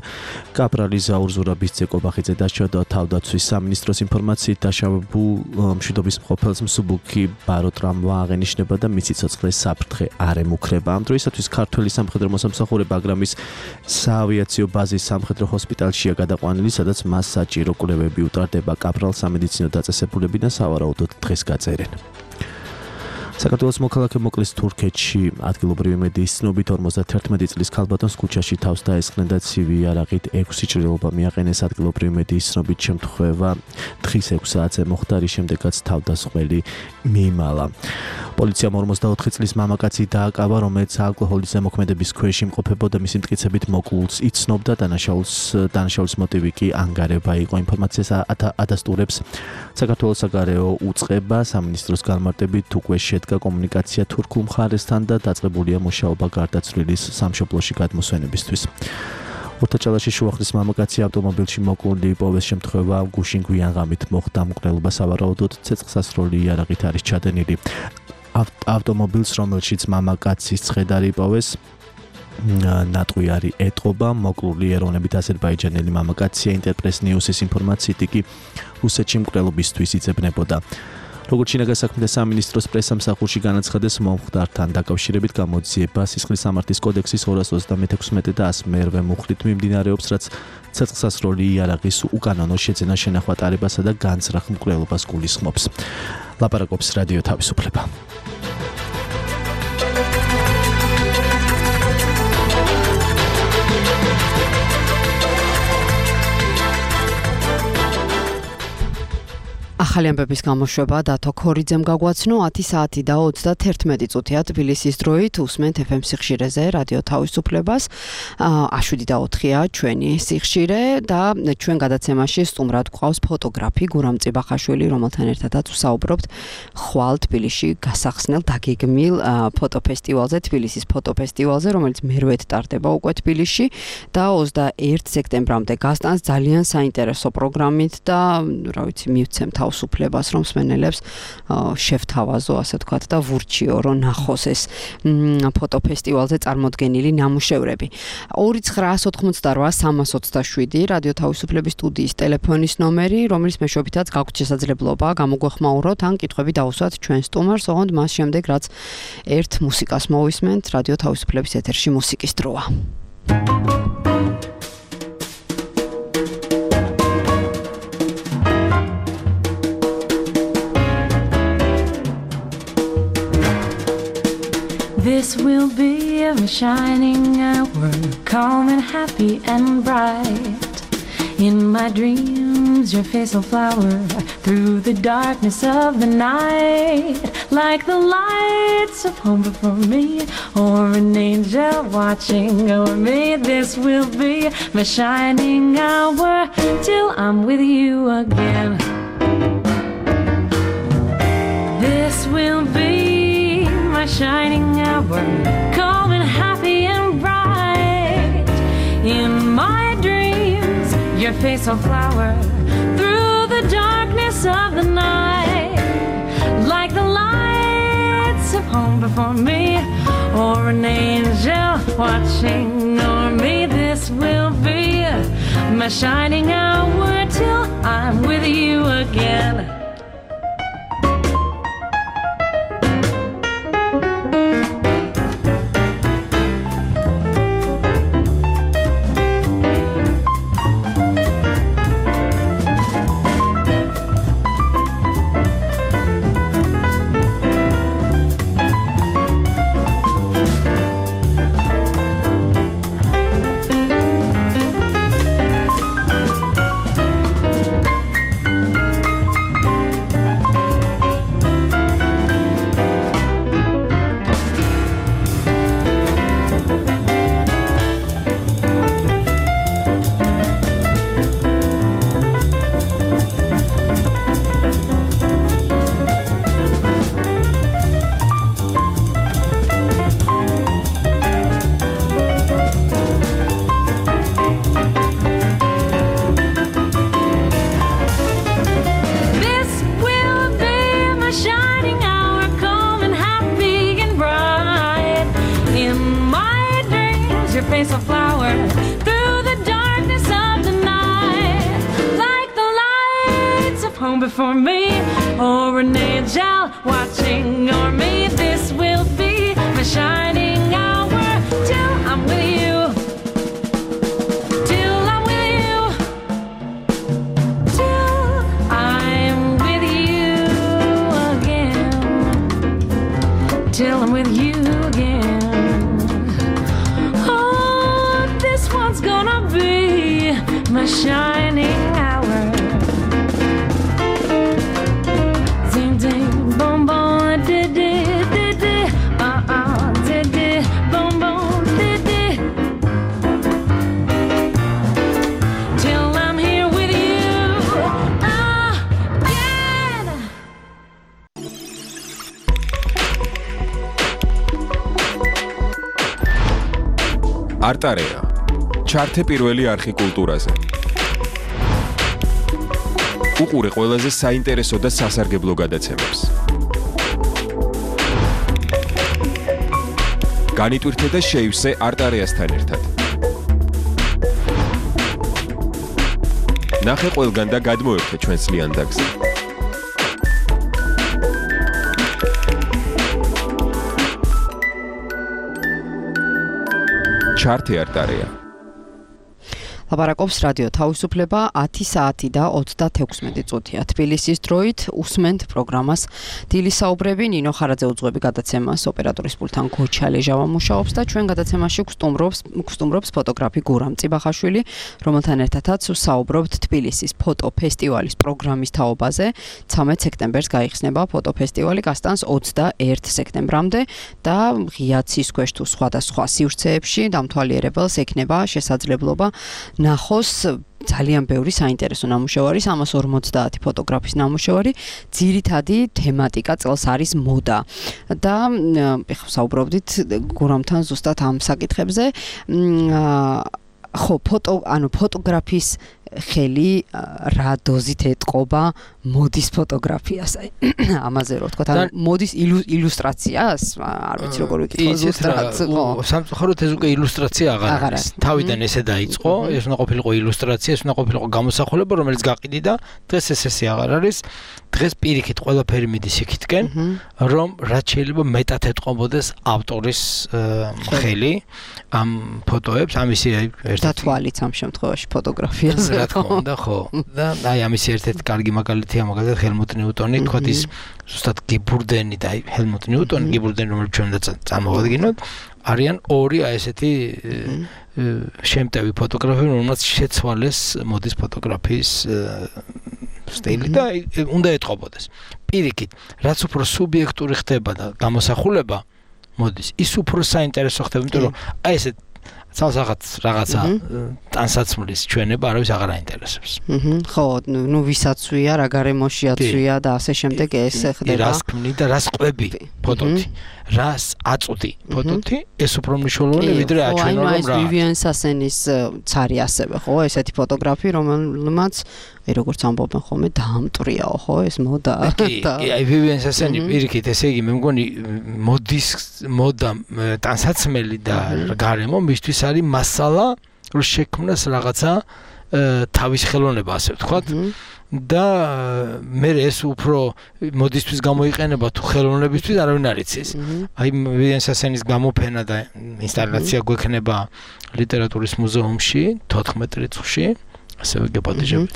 კაპრალი ზაურ ზურაბის ცეკობახიძე დაჩვენა თავდაცვის სამინისტროს ინფორმაციით დაშავებულ მშვიდობის მყოფელს მსუბუქი ბაროტრამვა აღენიშნება და მისი ცოცხლე საფრთხე არ ემუქრება. ამ დროისათვის ქართველი სამხედრო მოსამსახურე ბაგრამის საავიაციო ბაზის სამხედრო ჰოსპიტალშია გადაყვანილი, სადაც მას საჭირო კვლევები უტარდება. კაპრალს სამედიცინო დაწესებულები და სავარაუდოდ დღეს გაწერენ. საქართველოს მოქალაქე მოკლეს თურქეთში. ადგილობრივი medიის ცნობით 51 წლის ქალბატონს ქუჩაში თავს დაესხნენ და ცივი იარაღით 6 ჭრილობა მიაყენეს. ადგილობრივი medიის ცნობით შემთხვევა დღის 6 საათზე მოხდა, რის შემდეგაც თავდასხმელი მიიმალა. პოლიციამ 44 წლის მამაკაცი დააკავა, რომელიც ალკოჰოლის ზემოქმედების ქვეშ იმყოფებოდა. მისი მტკიცებით მოკლულს იცნობდა, დანაშაულის მოტივი კი ანგარება იყო. ინფორმაციას ადასტურებს საქართველოს საგარეო უწყება. სამინისტროს განმარტებით უკვე შედგა კომუნიკაცია თურქულ მხარესთან და დაწყებულია მუშაობა გარდაცვლილის სამშობლოში გადმოსვენებისთვის. ურთაჭალაში შუახნის მამაკაცი ავტომობილში მოკლული იპოვეს. შემთხვევა გუშინ გვიან ღამით მოხდა. მკვლელობა სავარაუდოდ ცეცხლსასროლი იარაღით არის ჩადენილი. ავტომობილს, რომელშიც მამაკაცის ცხედარი იპოვეს, ნატყვიარი ეტყობა. მოკლული ეროვნებით აზერბაიჯანელი მამაკაცია. ინტერპრეს ნიუსის ინფორმაციით იგი რუსეთში მკვლელობისთვის იძებნებოდა. როგორც შინაგან საქმეთა სამინისტროს პრესამსახურში განაცხადეს, მომხდართან დაკავშირებით გამოძიება სისხლის სამართლის კოდექსის 236 და 101 მუხლით მიმდინარეობს, რაც ცეცხლსასროლი იარაღის უკანონო შეძენა შენახვა ტარებასა და განზრახ მკვლელობას გულისხმობს. ლაპარაკობს რადიო თავისუფლება. ახალი ამბების გამოშვება დათო ქორიძემ გაგვაცნო 10 საათი და 31 წუთია თბილისის დროით. უსმენთ FM სიხშირეზე რადიო თავისუფლებას. A7 და 4-ია ჩვენი სიხშირე და ჩვენ გადაცემაში სტუმრად გვყავს ფოტოგრაფი გურამ წიბახაშვილი, რომელთან ერთადაც ვსაუბრობთ ხვალ თბილისში გასახსნელ დაგეგმილ ფოტოფესტივალზე, თბილისის ფოტოფესტივალზე, რომელიც მერვედ ტარდება უკვე თბილისში და 21 სექტემბრამდე გასტანს ძალიან საინტერესო პროგრამით და რა ვიცი მივცემ თავისუფლებას, რომ მსმენელებს შევთავაზო, ასე ვთქვათ, და ვურჩიო, რომ ნახოს ეს ფოტოფესტივალზე წარმოდგენილი ნამუშევრები. 2988327 რადიო თავისუფლების სტუდიის ტელეფონის ნომერი, რომელიც მეშვეობითაც გაქვთ შესაძლებლობა გამოგვეხმაუროთ ან კითხვები დაუსვათ ჩვენ სტუმარს, ოღონდ მას შემდეგ, რაც ერთ მუსიკას მოვისმენთ, რადიო თავისუფლების ეთერში მუსიკის დროა. This will be a shining hour, calm and happy and bright. In my dreams, your face will flower through the darkness of the night, like the lights of home before me, or an angel watching over me. This will be my shining hour till I'm with you again. This will be my shining hour, calm and happy and bright. In my dreams, your face will flower through the darkness of the night, like the lights of home before me, or an angel watching over me. This will be my shining hour till I'm with you again. your face a flower through the darkness of the night, like the lights of home before me, or an angel watching o'er me. This will be my shining hour till I'm with you, till I'm with you, till I'm with you again, till I'm with you again. Oh, this one's gonna be my shining hour. Ding ding boom boom di di di di di di boom boom di di, till I'm here with you again. არტარეა ჩართე პირველი არხი კულტურაზე. უყურე ყველაზე საინტერესო და სასარგებლო გადაცემებს. განიტვირთე და შეივსე არტარეასთან ერთად. ნახე ყველგან და გადმოერთე ჩვენს ლიანდაგზე. ჩართე არტარეა. ლაპარაკობს რადიო თავისუფლება 10 საათი და 36 წუთია. თბილისის დროით უსმენთ პროგრამას დილის საუბრები. ნინო ხარაძე უძღვები გადაცემას, ოპერატორის პულტთან გოჩა ლეჟავა მუშაობს და ჩვენ გადაცემაში გსტუმრობს ფოტოგრაფი გურამ წიბახაშვილი, რომელთან ერთადაც საუბრობთ თბილისის ფოტოფესტივალის პროგრამის თაობაზე. 13 სექტემბერს გაიხსნება ფოტოფესტივალი, გასტანს 21 სექტემბრამდე და ღია ცის ქვეშ თუ სხვადასხვა სივრცეებში დამთვალიერებელს ექნება შესაძლებლობა ნახოს ძალიან ბევრი საინტერესო ნამუშევარი, 350 ფოტოგრაფის ნამუშევარი, ძირითადი თემატიკა წელს არის მოდა. და ეხლა საუბრობდით გურამთან ზუსტად ამ საკითხებზე. ხო, ფოტოგრაფის ხელი რა დოზით ეტყობა მოდის ფოტოგრაფიას, ამაზე რო ვთქვა, ან მოდის ილუსტრაციას, არ ვიცი როგორ ვიკითხო ზუსტად. სამწუხაროდ ეს უკვე ილუსტრაცია აღარ არის. თავიდან ესე დაიწყო, ეს უნდა ყოფილიყო ილუსტრაცია, ეს უნდა ყოფილიყო გამოსახულება, რომელიც გაყიდიდა, დღეს ესე აღარ არის. დღეს პირიქით ყველაფერი მიდის იქითკენ, რომ რაც შეიძლება მეტად ეტყობოდეს ავტორის ხელი ამ ფოტოებს, ამისი და თვალიც ამ შემთხვევაში ფოტოგრაფიას. რა თქმა უნდა, ხო. და აი ამისი ერთ-ერთი კარგი მაგალითია, მაგალითად ჰელმუტ ნიუტონი, თქვათ ის ზუსტად გიბურდენი და ჰელმუტ ნიუტონი, გიბურდენი, რომელიც ჩვენ და წარმოვადგინოთ, არიან ორი აი ესეთი შემტევი ფოტოგრაფები, რომელსაც შეცვალეს მოდის ფოტოგრაფიის სტილი და უნდა ეტყობოდეს. პირიქით, რაც უფრო სუბიექტური ხდება და გამოსახულება მოდის, ის უფრო საინტერესო ხდება, იმიტომ რომ აი ესე ცალსახად რაღაცა ტანსაცმლის ჩვენება არავის აღარ აინტერესებს. ხო, ნუ ვისაცვია, რა გარემოშიაცვია და ასე შემდეგ ეს ხდება. რას ქმნი და რას ყვები ფოტოთი, რას აწვდი ფოტოთი, ეს უფრო მნიშვნელოვანია ვიდრე აჩვენო რომ რა. ვივიან სასენის ცარი ასევე, ხო, ესეთი ფოტოგრაფი, რომელმაც აი როგორც ამბობენ ხოლმე დაამტრიაო, ხო, ეს მოდა. აი ვივიან სასენი პირიქით, ესე იგი მე მგონი მოდა ტანსაცმელი და გარემო მისთვის არის მასალა, რომ შექმნას რაღაცა თავის ხელოვნება, ასე ვთქვათ. და მე ეს უფრო მოდისთვის გამოიყენება თუ ხელოვნებისთვის არავინ არ იცის. აი ვივიან სასენის გამოფენა და ინსტალაცია გვექნება ლიტერატურის მუზეუმში 14 რიცხვში. ასევე გეპატიჟებით.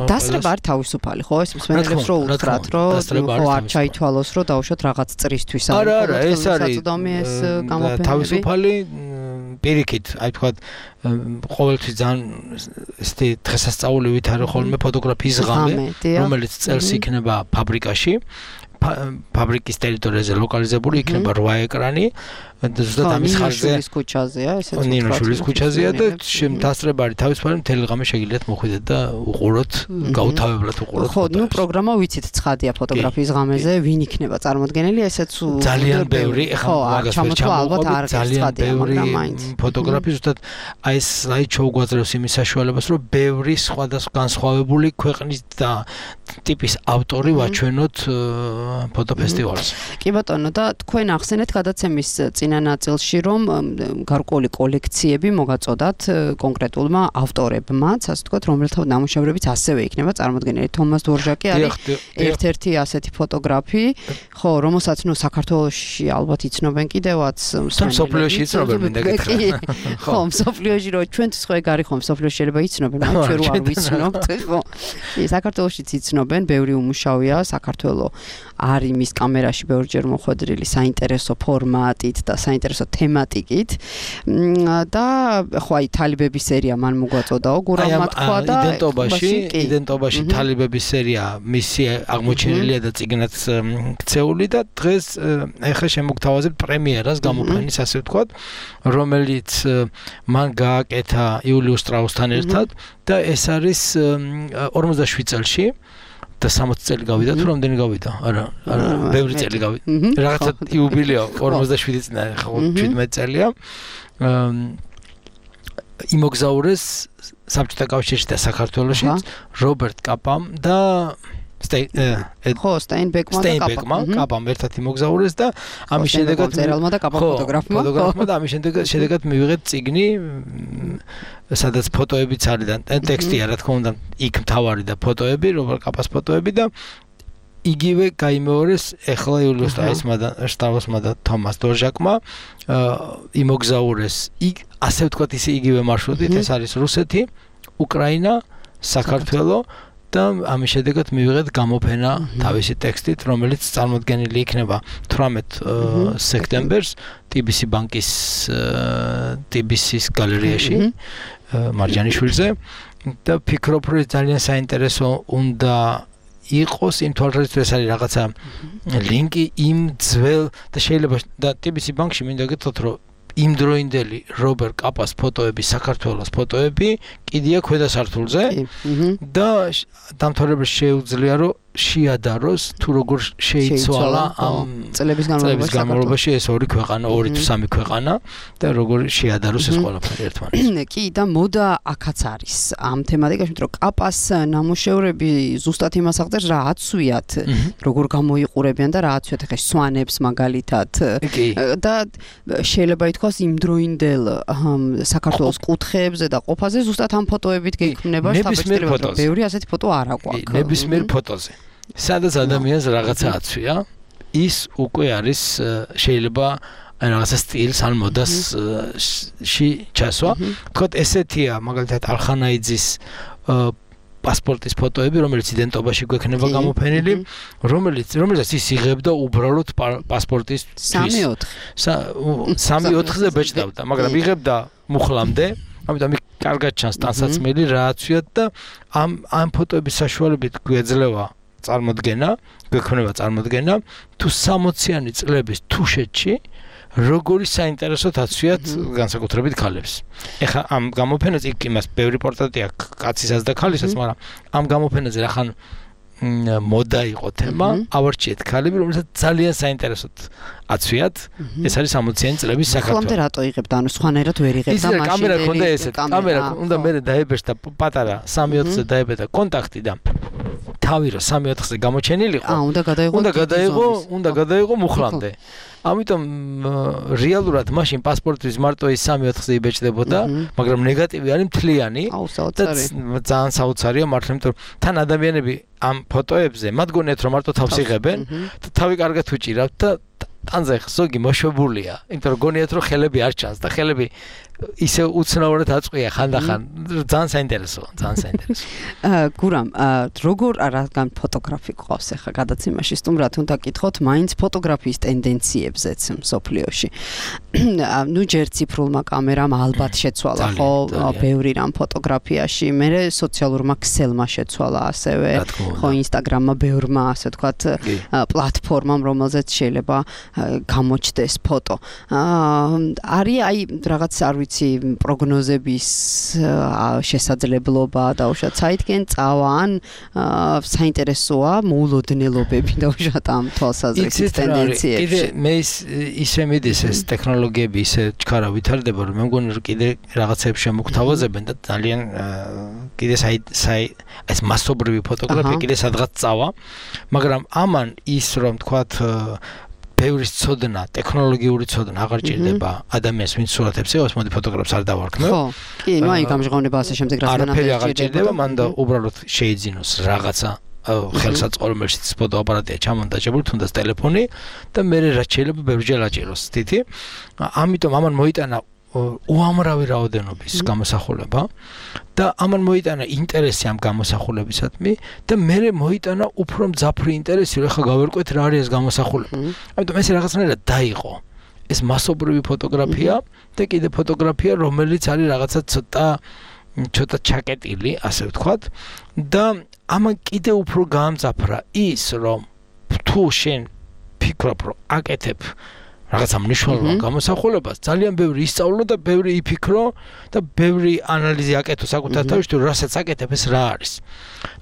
დასწრება არ თავისუფალი, ხო? ეს მსმენელებს რო უთხრათ, რომ ხო არ ჩაითვალოს, რომ დაუშვათ რაღაც წრისთვის არის. არა, ეს არის საწოდომი ეს გამოფენები. თავისუფალი პირიქით, აი თქვა ყოველთვის ძალიან ესეთი დღესასწაულივით არის ხოლმე ფოტოგრაფიის ღამე, რომელიც წელს იქნება ფაბრიკაში. ფაბრიკის ტერიტორიაზე ლოკალიზებული იქნება 8 ეკრანი და ზუსტად ამის ხარჯზე ნინოშვილის ქუჩაზეა, ესეც ვთქვათ. ნინოშვილის ქუჩაზეა და დასწრება არის თავისუფალი, მთელი ღამე შეგიძლიათ მოხვიდეთ და უყუროთ, გაუთავებლად უყუროთ. ხო, ნუ პროგრამა ვიცით ცხადია ფოტოგრაფიის ღამეზე, ვინ იქნება წარმოდგენელი, ესეც ძალიან ბევრი, ეხლა მაგას ვერ ჩამოვყობთ, ძალიან ბევრი ფოტოგრაფი ზუსტად აი ეს სლაიდშოუ გვაძლევს იმის საშუალებას, რომ ბევრი სხვადასხვა განსხვავებული ქვეყნის და ტიპის ავტორი ვაჩვენოთ ფოტოფესტივალს. კი ბატონო, და თქვენ ახსენეთ გადაცემის წინ წინა ნაწილში, რომ გარკვეული კოლექციები მოგაწოდათ კონკრეტულმა ავტორებმაც, ასე ვთქვათ, რომელთა ნამუშევრებიც ასევე იქნება წარმოდგენილი. თომას დორჟაკი არის ერთ-ერთი ასეთი ფოტოგრაფი, ხო, რომელსაც საქართველოში ალბათ იცნობენ კიდევაც მსოფლიოში იცნობენ მინდა გითხრა. ხო, მსოფლიოში რო ჩვენთვის ხო ეგ არის ხო, მსოფლიოში შეიძლება იცნობენ, მაგრამ ჩვენ რო არ ვიცნობთ, ხო. საქართველოშიც იცნობენ, ბევრი უმუშავია, საქართველო არის მის კამერაში ბევრჯერ მოხვედრილი საინტერესო ფორმატით და საინტერესო თემატიკით და ხო აი თალიბების სერია მან მოგვაწოდაო გურამმა თქვა და იდენტობაში თალიბების სერია მისი აღმოჩენილია და წიგნად ქცეული და დღეს ეხლა შემოგთავაზებ პრემიერას გამოფენის ასე ვთქვათ რომელიც მან გააკეთა იულიუს შტრაუსთან ერთად და ეს არის 47 წელში და 60 წელი გავიდა თუ რამდენი გავიდა? არა, ბევრი წელი გავიდა. რაღაცა იუბილეო 47 წელი, ხო 17 წელია. იმოგზაურეს საბჭოთა კავშირში და საქართველოშიც რობერტ კაპამ და სტეინბეკმა კაპამ ერთად იმოგზაურეს და ამის შედეგად წერალმა და კაპამ ფოტოგრაფმა და ამის შედეგად მივიღეთ წიგნი სადაც ფოტოებიც არის და ტექსტია რა თქმა უნდა იქ მთავარი და ფოტოები რობერტ კაპას ფოტოები და იგივე გაიმეორეს ეხლა იულიუს შტრაუსმა და თომას დორჟაკმა იმოგზაურეს ასე ვთქვათ ისე იგივე მარშრუტით ეს არის რუსეთი, უკრაინა, საქართველო და ამის შედეგად მივიღეთ გამოფენა თავისი ტექსტით, რომელიც წარმოდგენილი იქნება 18 სექტემბერს TBC ბანკის TBC-ის გალერეაში მარჯანიშვილზე და ფიქრობ, რომ ძალიან საინტერესო უნდა იყოს იმ თვალსაზრისით ეს არის რაღაცა ლინკი იმ ძველ და შეიძლება და TBC ბანკში მინდა გითხრათ, რომ იმდროინდელი რობერტ კაპას ფოტოები, საქართველოს ფოტოები კიდია ქვედა სართულზე და დამთავრებელს შეუძლია რომ შეადაროს თუ როგორ შეიცვალა ამ წლების განმავლობაში ეს ორი ქვეყანა, ორი თუ სამი ქვეყანა და როგორ შეადაროს ეს ყველაფერი ერთმანეთს. კი და მოდა აქაც არის ამ თემატიკაში, რომ კაპას ნამუშევრები ზუსტად იმას აღწერს, რა აცვიათ, როგორ გამოიყურებიან და რა აცვიათ ხე სვანებს მაგალითად და შეიძლება ითქვას იმდროინდელ საქართველოს კუთხეებზე და ყოფაზე ზუსტად ამ ფოტოებით გექმნება შთაბეჭდილება, რომ ბევრი ასეთი ფოტო არ აქვს. ნებისმიერ ფოტოზე სადაც ადამიანს რაღაცა აცვია, ის უკვე არის შეიძლება რაღაცა სტილს ან მოდასში ჩასვა. თქო ესეთია მაგალითად არხანაიძის პასპორტის ფოტოები, რომელიც იდენტობაში გვექნება გამოფენილი, რომელიც ის იღებდა უბრალოდ პასპორტის 3-4-ზე ბეჭდავდა, მაგრამ იღებდა მუხლამდე, ამიტომ კარგად ჩანს ტანსაცმელი რა აცვიათ და ამ ფოტოების საშუალებით გვეძლევა გვექმნება წარმოდგენა თუ 60-იანი წლების თუშეთში როგორი საინტერესოდ აცვიათ განსაკუთრებით ქალებს. ეხლა ამ გამოფენაზე იმას ბევრი პორტრეტი აქვს კაცისას და ქალისას, მაგრამ ამ გამოფენაზე რახან მოდა იყო თემა, ავარჩიეთ ქალები, რომელსაც ძალიან საინტერესოდ აცვიათ. ეს არის 60-იანი წლების საქართველო. ხომდე რატო იღებდა, ანუ სხვანაირად ვერ იღებდა მაშინ. კამერა ქონდა ესეთ, კამერა უნდა მე დაებეჭდა პატარა 3-4-ზე დაებეჭდა კონტაქტი და თავი რა 3-4-ზე გამოჩენილიყო. უნდა გადაიღო მუხლამდე. ამიტომ რეალურად მაშინ პასპორტის მარტო ის 3-4-ზე იბეჭდებოდა, მაგრამ ნეგატივი არის მთლიანი და ძალიან საოცარია მართლა, იმიტომ რომ თან ადამიანები ამ ფოტოებზე მათ გონიათ რომ მარტო თავს იღებენ და თავი კარგად უჭირავთ და ტანზე ზოგი მოშვებულია, იმიტომ რომ გონიათ რომ ხელები არ ჩანს და ხელები ისე უცნაურად აწყვია ხანდახან. ძალიან საინტერესოა. გურამ, როგორ რადგან ფოტოგრაფი ყავს ახლა გადაცემაში სტუმრად უნდა გითხოთ მაინც ფოტოგრაფიის ტენდენციებზეც მსოფლიოში. ნუ ჯერ ციფრულმა კამერამ ალბათ შეცვალა ხო ბევრი რამ ფოტოგრაფიაში, მერე სოციალურმა ქსელმა შეცვალა ასევე, ხო ინსტაგრამმა ბევრმა ასე ვთქვათ პლატფორმამ, რომელზეც შეიძლება გამოჩდეს ფოტო. არის აი რაღაც არ ვიცი პროგნოზების შესაძლებლობა დაუშვათ საითკენ წავა ან საინტერესოა მოულოდნელობები დაუშვათ ამ თვალსაზრისით ტენდენციებში. კიდე მე ისე მიდის ეს ტექნოლოგიები ისე ჩქარა ვითარდება, რომ მე მგონი რომ კიდე რაღაცებს შემოგთავაზებენ და ძალიან კიდე ეს მასობრივი ფოტოგრაფია კიდე სადღაც წავა, მაგრამ ამან ის რომ თქვათ ბევრი ცოდნა, ტექნოლოგიური ცოდნა აღარ ჭირდება ადამიანს, ვინც სურათებს იღებს, მოდი ფოტოგრაფს არ დავარქმევ. ხო, კი, ნუ აი გამჟღავნება ასე შემდეგ რაც არაფერი აღარ ჭირდება, მან და უბრალოდ შეიძინოს რაღაცა ხელსაწყო, რომელშიც ფოტოაპარატია ჩამონტაჟებული, თუნდაც ტელეფონი და მე რაც შეიძლება ბევრჯერ აჭიროს თითი. ამიტომ ამან მოიტანა უამრავი რაოდენობის გამოსახულება და ამან მოიტანა ინტერესი ამ გამოსახულებისადმი და მე მოიტანა უფრო მძაფრი ინტერესი, რომ ახლა გავერკვეთ რა არის ეს გამოსახულება. ამიტომ ეს რაღაცნაირად დაიყო. ეს მასობრივი ფოტოგრაფია და კიდე ფოტოგრაფია, რომელიც არის რაღაცა ცოტა ჩაკეტილი, ასე ვთქვათ და ამან კიდე უფრო გაამძაფრა ის, რომ თუ შენ ფიქრობ, რომ აკეთებ რაღაცა მნიშვნელოვან გამოსახულებას, ძალიან ბევრი ისწავლო და ბევრი იფიქრო და ბევრი ანალიზი აკეთო საკუთარ თავში, თუ რასაც აკეთებ ეს რა არის.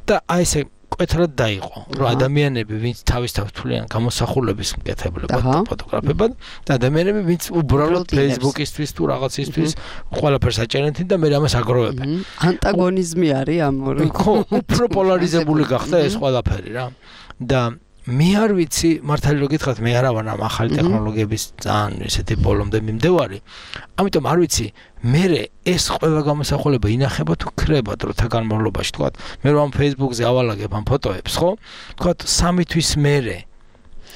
და აი ესე კვეთრად დაიყო, რომ ადამიანები, ვინც თავისთავად თვლიან გამოსახულების მკეთებლებად და ფოტოგრაფებად, და ადამიანები, ვინც უბრალოდ Facebook-ისთვის თუ რაღაცისთვის ყველაფერს აჭერენ და მე ამას აგროვებენ. ანტაგონიზმი არის ამ ორი. ხო, უფრო პოლარიზებული გახდა ეს ყველაფერი რა. და მე არ ვიცი, მართალი რომ გითხრათ, მე არა ვარ ამ ახალი ტექნოლოგიების ძალიან ესეთი ბოლომდე მიმდევარი. ამიტომ არ ვიცი, მე ეს ყველა გამოსახულება ინახება თუ ქრება დროთა განმავლობაში, თქვათ, მე რომ ამ Facebook-ზე ავალაგებ ამ ფოტოებს, ხო? თქვათ 3 თვის მერე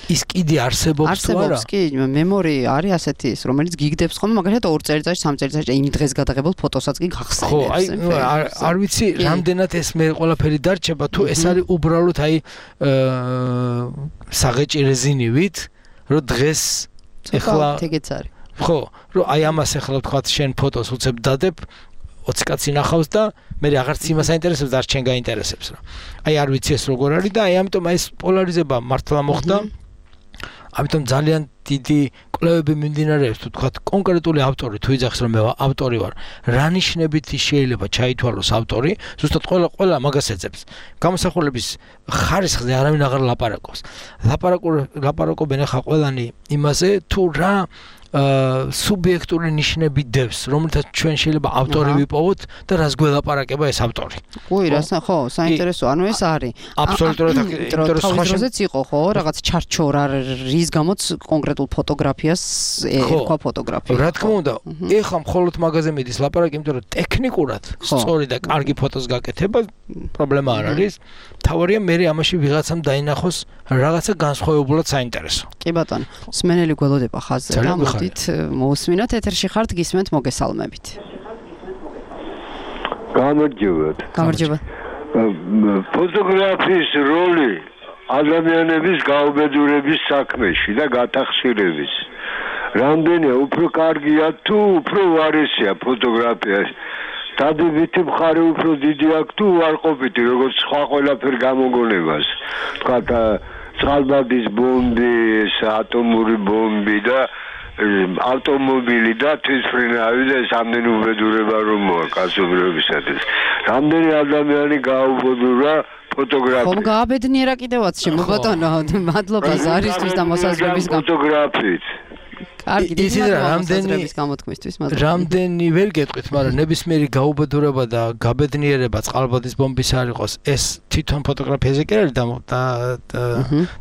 ის კიდე არსებობს თუ არა? არსებობს კი, მემორი არის ასეთი ის, რომელიც გიგდებს ხოლმე, მაგალითად 2 წელიწადში, 3 წელიწადში იმ დღეს გადაღებულ ფოტოსაც კი გახსენებს. ხო, აი, არ ვიცი, რამდენად ეს მე ყველაფერი დარჩება, თუ ეს არის უბრალოდ აი საღეჭი რეზინივით, რომ დღეს ეხლა ეგეც არის. ხო, რომ აი ამას ეხლა ვთქვათ, შენ ფოტოს უცებ დადებ 20 კაცი ნახავს და მე აღარც იმას აინტერესებს, არც შენ გაინტერესებს რა. აი არ ვიცი ეს როგორ არის და აი ამიტომ ეს პოლარიზება მართლა მოხდა. ამიტომ ძალიან დიდი კვლევები მიმდინარეობს, თუ თქვათ კონკრეტული ავტორი თუ იძახს რომ მე ავტორი ვარ, რა ნიშნებით შეიძლება ჩაითვალოს ავტორი, ზუსტად ყველა მაგას ეძებს. გამოსახულების ხარისხზე არავინ აღარ ლაპარაკობს. ლაპარაკობენ ახლა ყველანი იმაზე, თუ რა სუბიექტური ნიშნები დევს, რომელთაც ჩვენ შეიძლება ავტორი ვიპოვოთ და რას გველაპარაკება ეს ავტორი. უი, რას ხო, საინტერესო, ანუ ეს არის. აბსოლუტურად თავისუფლად იყო, ხო, რაღაც ჩარჩორა, რის გამოც კონკრეტულ ფოტოგრაფიას ერქვა ფოტოგრაფია. რა თქმა უნდა, ეხლა მხოლოდ მაგაზე მიდის ლაპარაკი, იმიტომ რომ ტექნიკურად სწორი და კარგი ფოტოს გაკეთება პრობლემა არ არის. თავარია მე ამაში ვიღაცამ დაინახოს რაღაცა განსხვავებულად საინტერესო. კი ბატონო, სმენელი გველოდება ხაზზე და მოდით მოусმინოთ, ეთერში ხართ, გისმენთ, მოგესალმებით. გამარჯობა. ფოტოგრაფიის როლი ადამიანების გაუბედურების საქმეში და გატახსირების. რამდენია უფრო კარგია თუ უფრო უარესია ფოტოგრაფიაში. დადებითი მხარე უფრო დიდი აქვს თუ უარყოფითი, როგორც სხვა ყველაფერ გამოგონებას. თქვათ წყალბადის ბომბი, ატომური ბომბი და ავტომობილი და თვითმფრინავი და ეს ამდენი უბედურება რომ მოა კაცობრიობისათვის. რამდენი ადამიანი გაუბედურა ფოტოგრაფია. ხომ გააბედნიერა კიდევაც შემობატონო, მადლობა ზარისთვის და მოსაზრების ფოტოგრაფიით. კარგი, რამდენი გამოთქმისთვის, მადლობა. რამდენი ვერ გეტყვით, მაგრამ ნებისმიერი გაუბედურება და გაბედნიერება წყალბადის ბომბის არ იყოს, ეს თვითონ ფოტოგრაფიაზე კი არის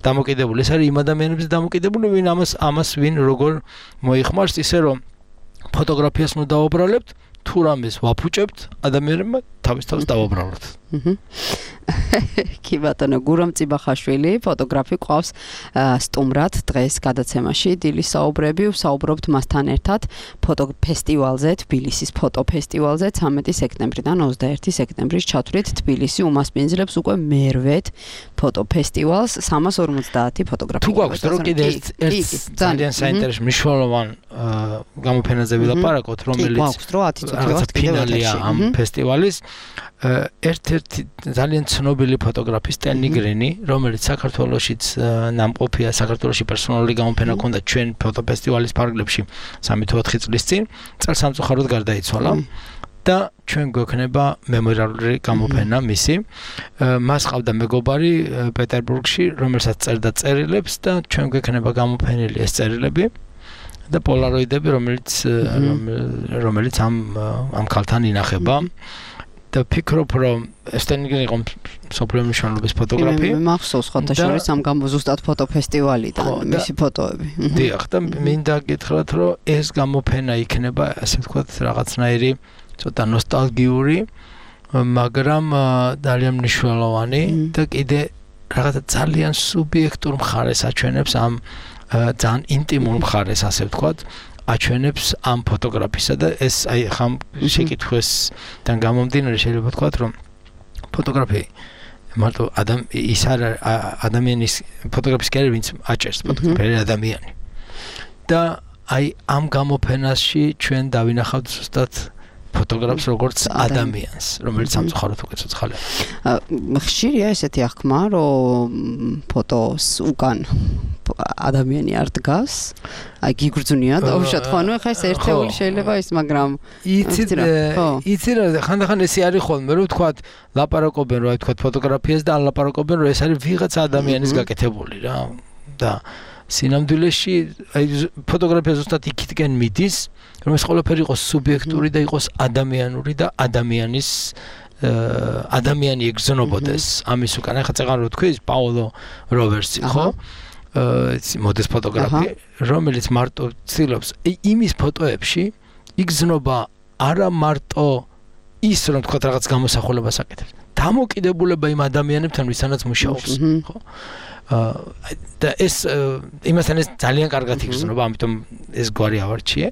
დამოკიდებული. ეს არის იმ ადამიანებზე დამოკიდებული, ვინ ამას ვინ როგორ მოიხმარს, ისე რომ ფოტოგრაფიას ნუ დავუბრალებთ, თუ რამეს ვაფუჭებთ, ადამიანებმა თავის დავუბრალოთ. კი ბატონო, გურამ წიბახაშვილი, ფოტოგრაფი ყავს სტუმრად დღეს გადაცემაში დილის საუბრები, ვსაუბრობთ მასთან ერთად ფოტოფესტივალზე, თბილისის ფოტოფესტივალზე 13 სექტემბრიდან 21 სექტემბრის ჩათვლით თბილისი უმასპინძლებს უკვე მერვედ ფოტოფესტივალს 350 ფოტოგრაფი. თუ გვაქვს დრო კიდე ერთ ძალიან საინტერესო მნიშვნელოვან გამოფენაზე ვილაპარაკოთ, რომელიც რაღაცა ფინალია ამ ფესტივალის. ერთ-ერთი ძალიან ცნობილი ფოტოგრაფი სტენ ნიგრენი, რომელიც საქართველოშიც ნამყოფია, საქართველოში პერსონალური გამოფენა ჰქონდა ჩვენ ფოტოფესტივალის ფარგლებში 3 თუ 4 წლის წინ, წელსამწუხაროდ გარდაიცვალა და ჩვენ გვექნება მემორიალური გამოფენა მისი. მას ყავდა მეგობარი პეტერბურგში, რომელსაც წერდა წერილებს და ჩვენ გვექნება გამოფენილი ეს წერილები და პოლაროიდები, რომელიც ამ ქალთან ინახება. და ფიქრობ რომ ესტენიგენ იყო სოფლიო მნიშვნელობის ფოტოგრაფი. მე მახსოვს ხოთაშორის ამ გამოზუსტად ფოტოფესტივალიდან მისი ფოტოები. დიახ, და მინდა გითხრათ რომ ეს გამოფენა იქნება ასე ვთქვათ რაღაცნაირი ცოტა ნოსტალგიური, მაგრამ ძალიან მნიშვნელოვანი და კიდე რაღაცა ძალიან სუბიექტურ მხარეს აჩვენებს ამ ძალიან ინტიმურ მხარეს ასე ვთქვათ. აჩვენებს ამ ფოტოგრაფისა და ეს აი ხამ შეკითხვისთან გამომდინარე შეიძლება ვთქვათ რომ ფოტოგრაფი მარტო ის არ ადამიანის ფოტოგრაფის კერები ვინც აჭერს ფოტოგრაფი ადამიანი და აი ამ გამოფენაში ჩვენ დავინახავთ ზუსტად ფოტოგრაფს როგორც ადამიანს რომელიც სამწუხაროდ უკვე ცოცხალია. ხშირია ესეთი აღქმა რომ ფოტოს უკან ადამიანი არ დგას, აი გიგრძნია დაუშვათ ხო, ანუ ხა ეს ერთეული შეიძლება ის, მაგრამ იცი რა ხანდახან ესე არის ხოლმე რომ ვთქვათ ლაპარაკობენ რომ აი ვთქვათ ფოტოგრაფიას და ლაპარაკობენ რომ ეს არის ვიღაცა ადამიანის გაკეთებული რა და სინამდვილეში აი ფოტოგრაფია ზუსტად იქითკენ მიდის რომ ეს ყველაფერი იყოს სუბიექტური და იყოს ადამიანური და ადამიანის ადამიანი ეგზნობოდეს ამის უკან ახლა წეგან რო თქვი პაოლო როვერსი ხო მოდეს ფოტოგრაფი რომელიც მარტო ცდილობს იმის ფოტოებში იგზნობა არა მარტო ის რომ თქვა რაღაც გამოსახულებას აკეთებს დამოკიდებულება იმ ადამიანებთან ვისთანაც მუშაობს ხო და ეს იმასთან ეს ძალიან კარგად იგრძნობა ამიტომ ეს გვარი ავარჩიე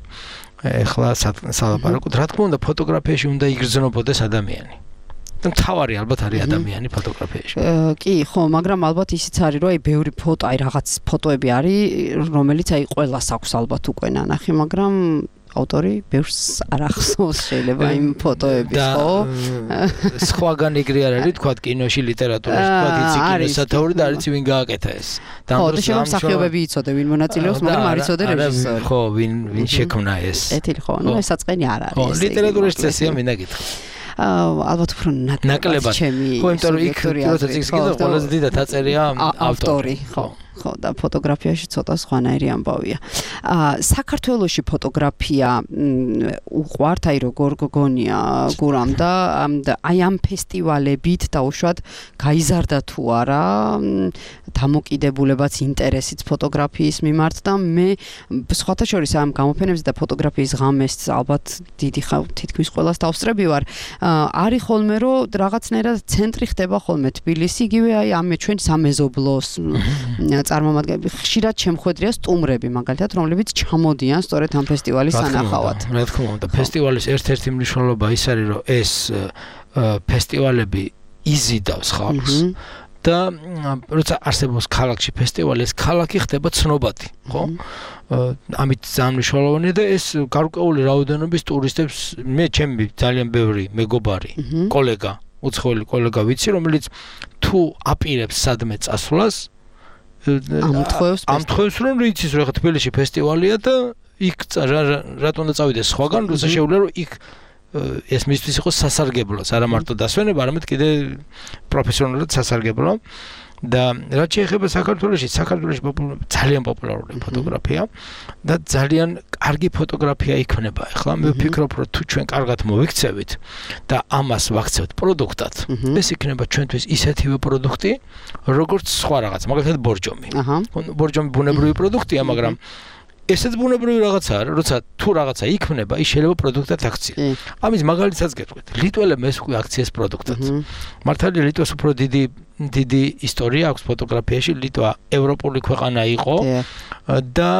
ეხლა სალაპარაკოთ რა თქმა უნდა ფოტოგრაფიაში უნდა იგრძნობოდეს ადამიანი და მთავარი ალბათ არის ადამიანი ფოტოგრაფიაში. კი, ხო, მაგრამ ალბათ ისიც არის, რომ აი ბევრი ფოტო, აი რაღაც ფოტოები არის, რომელიც აი ყველას აქვს ალბათ უკვე ნანახი, მაგრამ ავტორი ბევრს არ ახსოვს შეიძლება იმ ფოტოების, ხო? სხვაგან ეგრე არ არის, თქვა კინოში, ლიტერატურაში, თქვა იცი კინოსათაური და არ იცი ვინ გააკეთა ეს. და ამ დროს შეიძლება მსახიობები იცოდე, ვინ მონაწილეობს, მაგრამ არ იცოდე რეჟისორი. ხო, ვინ შექმნა ეს. ეთილი ხო, ნუ ეს საწყენი არ არის. ხო, ლიტერატურაში წესია მინდა გითხრა. ალბათ უფრო ნაკლებად. ხო, იმიტომ რომ იქ როცა წიგნს კიდევ ყველაზე დიდად აწერია ავტორი. ხო და ფოტოგრაფიაში ცოტა სხვანაირი ამბავია. საქართველოში ფოტოგრაფია უყვართ, აი როგორ გონია გურამ და აი ამ ფესტივალებით დაუშვათ გაიზარდა თუ არა დამოკიდებულებაც ინტერესიც ფოტოგრაფიის მიმართ და მე სხვათა შორის ამ გამოფენებზე და ფოტოგრაფიის ღამეს ალბათ დიდი თითქმის ყველას დავსწრები ვარ. არის ხოლმე რომ რაღაცნაირად ცენტრი ხდება ხოლმე თბილისი, იგივე აი ამ ჩვენ სამეზობლოს წარმომადგენლები ხშირად შემხვედრია სტუმრები მაგალითად რომლებიც ჩამოდიან სწორედ ამ ფესტივალის სანახავად. რა თქმა უნდა, ფესტივალის ერთ-ერთი მნიშვნელობა ის არის რომ ეს ფესტივალები იზიდავს ხალხს და როცა არსებობს ქალაქში ფესტივალი, ეს ქალაქი ხდება ცნობადი, ხო? ამით ძალიან მნიშვნელოვანია და ეს გარკვეული რაოდენობის ტურისტებს მე ჩემი ძალიან ბევრი მეგობარი, კოლეგა, უცხოელი კოლეგა ვიცი, რომელიც თუ აპირებს სადმე წასვლას ამთხოვს რომ იცის რომ ხა თბილისში ფესტივალია და იქ რატომ უნდა წავიდეს სხვაგან როცა შეუძლია რომ იქ ეს მისთვის იყოს სასარგებლოს არა მარტო დასვენება არამედ კიდე პროფესიონალურად სასარგებლო და რაც შეეხება საქართველოში ძალიან პოპულარულია ფოტოგრაფია და ძალიან კარგი ფოტოგრაფია იქნება ახლა მე ვფიქრობ რომ თუ ჩვენ კარგად მოვიქცევით და ამას ვაქცევთ პროდუქტად ეს იქნება ჩვენთვის ისეთივე პროდუქტი როგორც სხვა რაღაც მაგალითად ბორჯომი ბორჯომი ბუნებრივი პროდუქტია მაგრამ ესეც ბუნებრივი რაღაცაა, როცა თუ რაღაცა იქმნება, ის შეიძლება პროდუქტად აქცია. ამის მაგალითსაც გეტყვით. ლიტველებმა ეს უკვე აქციეს პროდუქტად. მართალია ლიტვას უფრო დიდი ისტორია აქვს ფოტოგრაფიაში, ლიტვა ევროპული ქვეყანა იყო და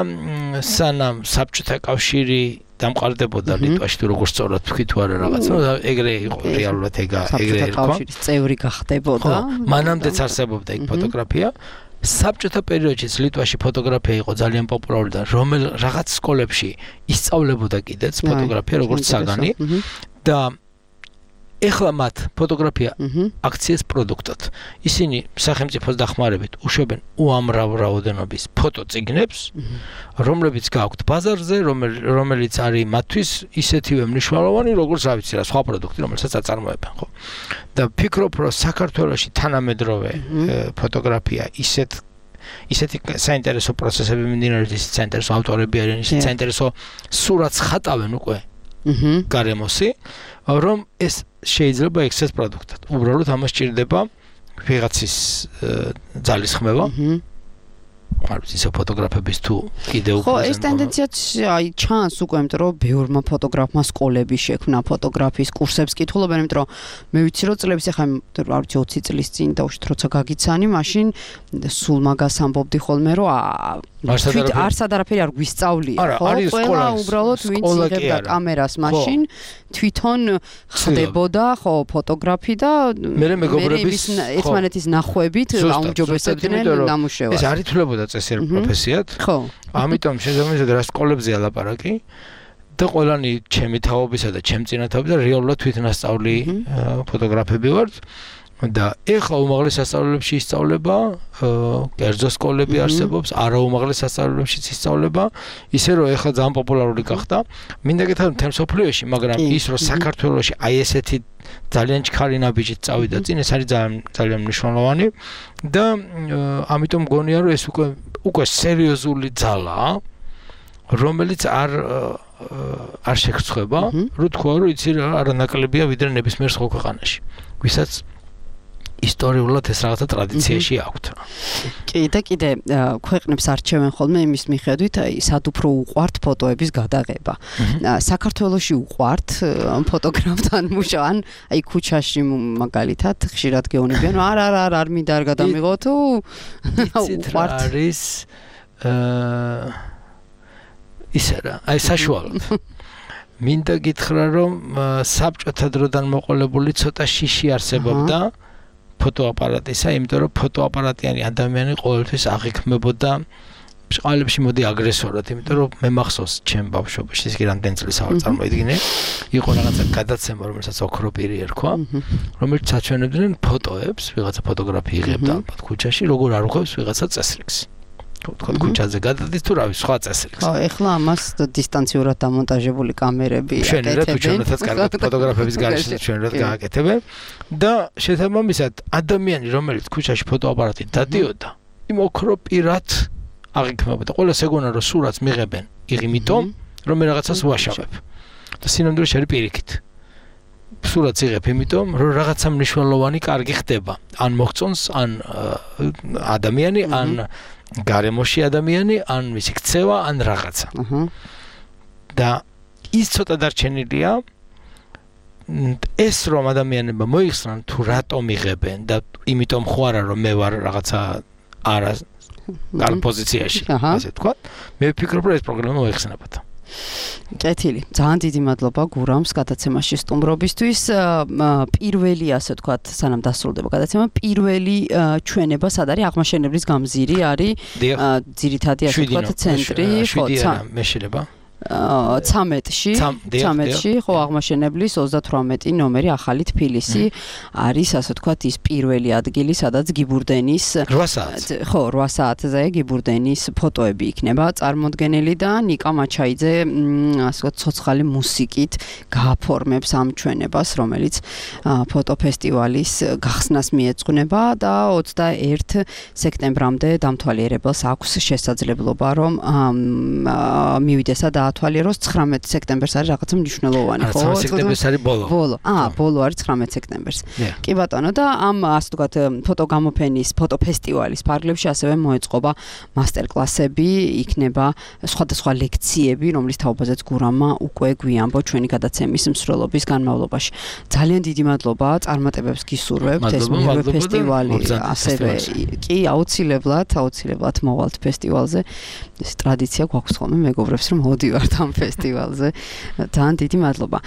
სანამ საბჭოთა კავშირი დამყარდებოდა ლიტვაში თუ როგორ სწორად თქვი თუ არა რაღაც, ეგრე იყო რეალურად ეგრე იყო. კავშირის წევრი გახდებოდა. მანამდეც არსებობდა იქ ფოტოგრაფია. საბჭოთა პერიოდში ლიტვაში ფოტოგრაფია იყო ძალიან პოპულარული და რაღაც სკოლებში ისწავლებოდა კიდეც ფოტოგრაფია როგორც საგანი და ეხლა მათ ფოტოგრაფია აქციეს პროდუქტად. ისინი სახელმწიფოს დახმარებით უშვებენ უამრავ რაოდენობის ფოტოწიგნებს, რომლებიც გააქვთ ბაზარზე, რომელიც არის მათთვის ისეთივე მნიშვნელოვანი, როგორც რა ვიცი რა, სხვა პროდუქტი, რომელსაც აწარმოებენ, ხო? და ფიქრობ, რომ საქართველოში თანამედროვე ფოტოგრაფია ისეთი საინტერესო პროცესები მიმდინარეობს, ისეთი საინტერესო ავტორები არიან, ისეთი საინტერესო სურათს ხატავენ უკვე გარემოსი, რომ ეს შეიძლება ექცეს პროდუქტად. უბრალოდ ამას ჭირდება ვიღაცის ძალისხმევა. არ ვიცი, ისე ფოტოგრაფების თუ კიდევ ხო, ეს ტენდენციაც აი ჩანს უკვე, იმიტომ რომ ბევრმა ფოტოგრაფმა სკოლები შექმნა ფოტოგრაფიის კურსებს კითხულობენ, იმიტომ რომ მე ვიცი რომ წლების ახლა არ ვიცი 20 წლის წინ დაუშვით როცა გაგიცანი, მაშინ სულ მაგას ამბობდი ხოლმე რომ არც არაფერი არ გვისწავლია, ხო? ყველა უბრალოდ ვინც იღებდა კამერას მაშინ თვითონ ხდებოდა, ხო, ფოტოგრაფი და მე მეგობრების ერთმანეთის ნახვებით აუმჯობესებდნენ ნამუშევარს. ეს არ ითვლებოდა წესიერ პროფესიად. ხო. ამიტომ შესაბამისად რა სკოლებზე ალაპარაკი და ყველანი ჩემი თაობისა და ჩემ წინათაობისა და რეალურად თვითნასწავლი ფოტოგრაფები ვართ. და ეხლა უმაღლეს სასწავლებლებში ისწავლება, კერძო სკოლები არსებობს, არაუმაღლეს სასწავლებლებშიც ისწავლება, ისე რომ ეხლა ძალიან პოპულარული გახდა. მინდა გითხრათ მთელ მსოფლიოში, მაგრამ ის რომ საქართველოში აი ესეთი ძალიან ჩქარი ნაბიჯით წავიდა წინ, ეს არის ძალიან მნიშვნელოვანი და ამიტომ მგონია რომ ეს უკვე სერიოზული ძალაა, რომელიც არ შეგრცხვება, რო თქვა რომ იცი რა არანაკლებია ვიდრე ნებისმიერ სხვა ქვეყანაში. ვისაც ისტორიულად ეს რაღაცა ტრადიციაში აქვთ. კი და კიდე ქვეყნებს არჩევენ ხოლმე იმის მიხედვით, აი სად უფრო უყვართ ფოტოების გადაღება. საქართველოში უყვართ ფოტოგრაფთან მუშაობა, აი ქუჩაში მაგალითად ხშირად გეუბნებიან, არ მინდა არ გადამიღო თუ უყვართ. არის ისე რა, აი საშუალოდ. მინდა გითხრა რომ საბჭოთა დროდან მოყოლებული ცოტა შიში არსებობდა ფოტოაპარატისა, იმიტომ რომ ფოტოაპარატიანი ადამიანი ყოველთვის აღიქმებოდა ბჭყალებში მოდი აგრესორად, იმიტომ რომ მე მახსოვს ჩემ ბავშვობაში, ის კი რამდენი წლის ავარ წარმოიდგინე, იყო რაღაცა გადაცემა, რომელსაც ოქროპირი ერქვა, რომელიც აჩვენებდნენ ფოტოებს, ვიღაცა ფოტოგრაფი იღებდა ალბათ ქუჩაში, როგორ არ უხევს ვიღაცა წესრიგს. თქო ქუჩაზე გადადის თუ რავი სხვა წესრიგს. ხო, ეხლა ამას დისტანციურად დამონტაჟებული კამერები აკეთებენ. ჩვენერად კარგად ფოტოგრაფების გარეშე ჩვენერად გააკეთებენ და შესაბამისად ადამიანი რომელიც ქუჩაში ფოტოაპარატით დადიოდა, იმ ოქროპირად აღიქმებოდა. ყველას ეგონა რომ სურათს მიღებენ იმითომ რომ მე რაღაცას ვაშავებ. და სინამდვილეში არის პირიქით. სურათს იღებ იმიტომ რომ რაღაცა მნიშვნელოვანი კარგი ხდება. ან მოგწონს, ან ადამიანი, ან გარემოში ადამიანი, ან მისი ქცევა, ან რაღაცა. და ის ცოტა დარჩენილია ეს რომ ადამიანებმა მოიხსნან თუ რატომ იღებენ და იმიტომ ხო არა რომ მე ვარ რაღაცა არა კარგ პოზიციაში, ასე თქვა. მე ვფიქრობ რომ ეს პროგრამა მოიხსნებოდა. კეთილი. ძალიან დიდი მადლობა გურამს გადაცემაში სტუმრობისთვის. პირველი, ასე ვთქვათ, სანამ დასრულდება გადაცემა, პირველი ჩვენება სად არის? აღმაშენებლის გამზირი არის ძირითადი, ასე ვთქვათ, ცენტრი, ხო, მე შეიძლება 13-ში, ხო, აღმაშენებლის 38 ნომერი ახალი თბილისი არის, ასე ვთქვათ, ის პირველი ადგილი, სადაც გიბურდენის 8 საათზე. ხო, 8 საათზე გიბურდენის ფოტოები იქნება წარმოდგენილი და ნიკა მაჩაიძე, ასე ვთქვათ, ცოცხალი მუსიკით გააფორმებს ამ ჩვენებას, რომელიც ფოტოფესტივალის გახსნას მიეძღვნება და 21 სექტემბრამდე დამთვალიერებელს აქვს შესაძლებლობა, რომ მივიდეს და ათვალიეროს 19 სექტემბერს არის რაღაცა მნიშვნელოვანი, ხო? 19 სექტემბერს არის ბოლო. ბოლო არის 19 სექტემბერს. კი ბატონო და ამ ასე ვთქვათ ფოტოგამოფენის, ფოტოფესტივალის ფარგლებში ასევე მოეწყობა მასტერკლასები, იქნება სხვადასხვა ლექციები, რომლის თაობაზეც გურამმა უკვე გვიამბო ჩვენი გადაცემის მსვლელობის განმავლობაში. ძალიან დიდი მადლობა, წარმატებებს გისურვებთ ეს მეორე ფესტივალი, ასევე კი აუცილებლად მოვალთ ფესტივალზე. ეს ტრადიცია გვაქვს ხოლმე მეგობრებს რომ მოდივართ ამ ფესტივალზე. ძალიან დიდი მადლობა.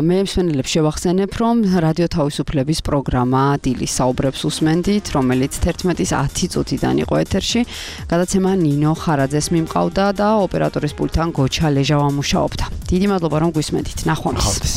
მე მსმენელებს შევახსენებ, რომ რადიო თავისუფლების პროგრამა დილის საუბრებს უსმენდით, რომელიც 11:10 წუთიდან იყო ეთერში. გადაცემა ნინო ხარაძეს მიმყავდა და ოპერატორის პულტთან გოჩა ლეჟავა მუშაობდა. დიდი მადლობა რომ გვისმენდით. ნახვამდის.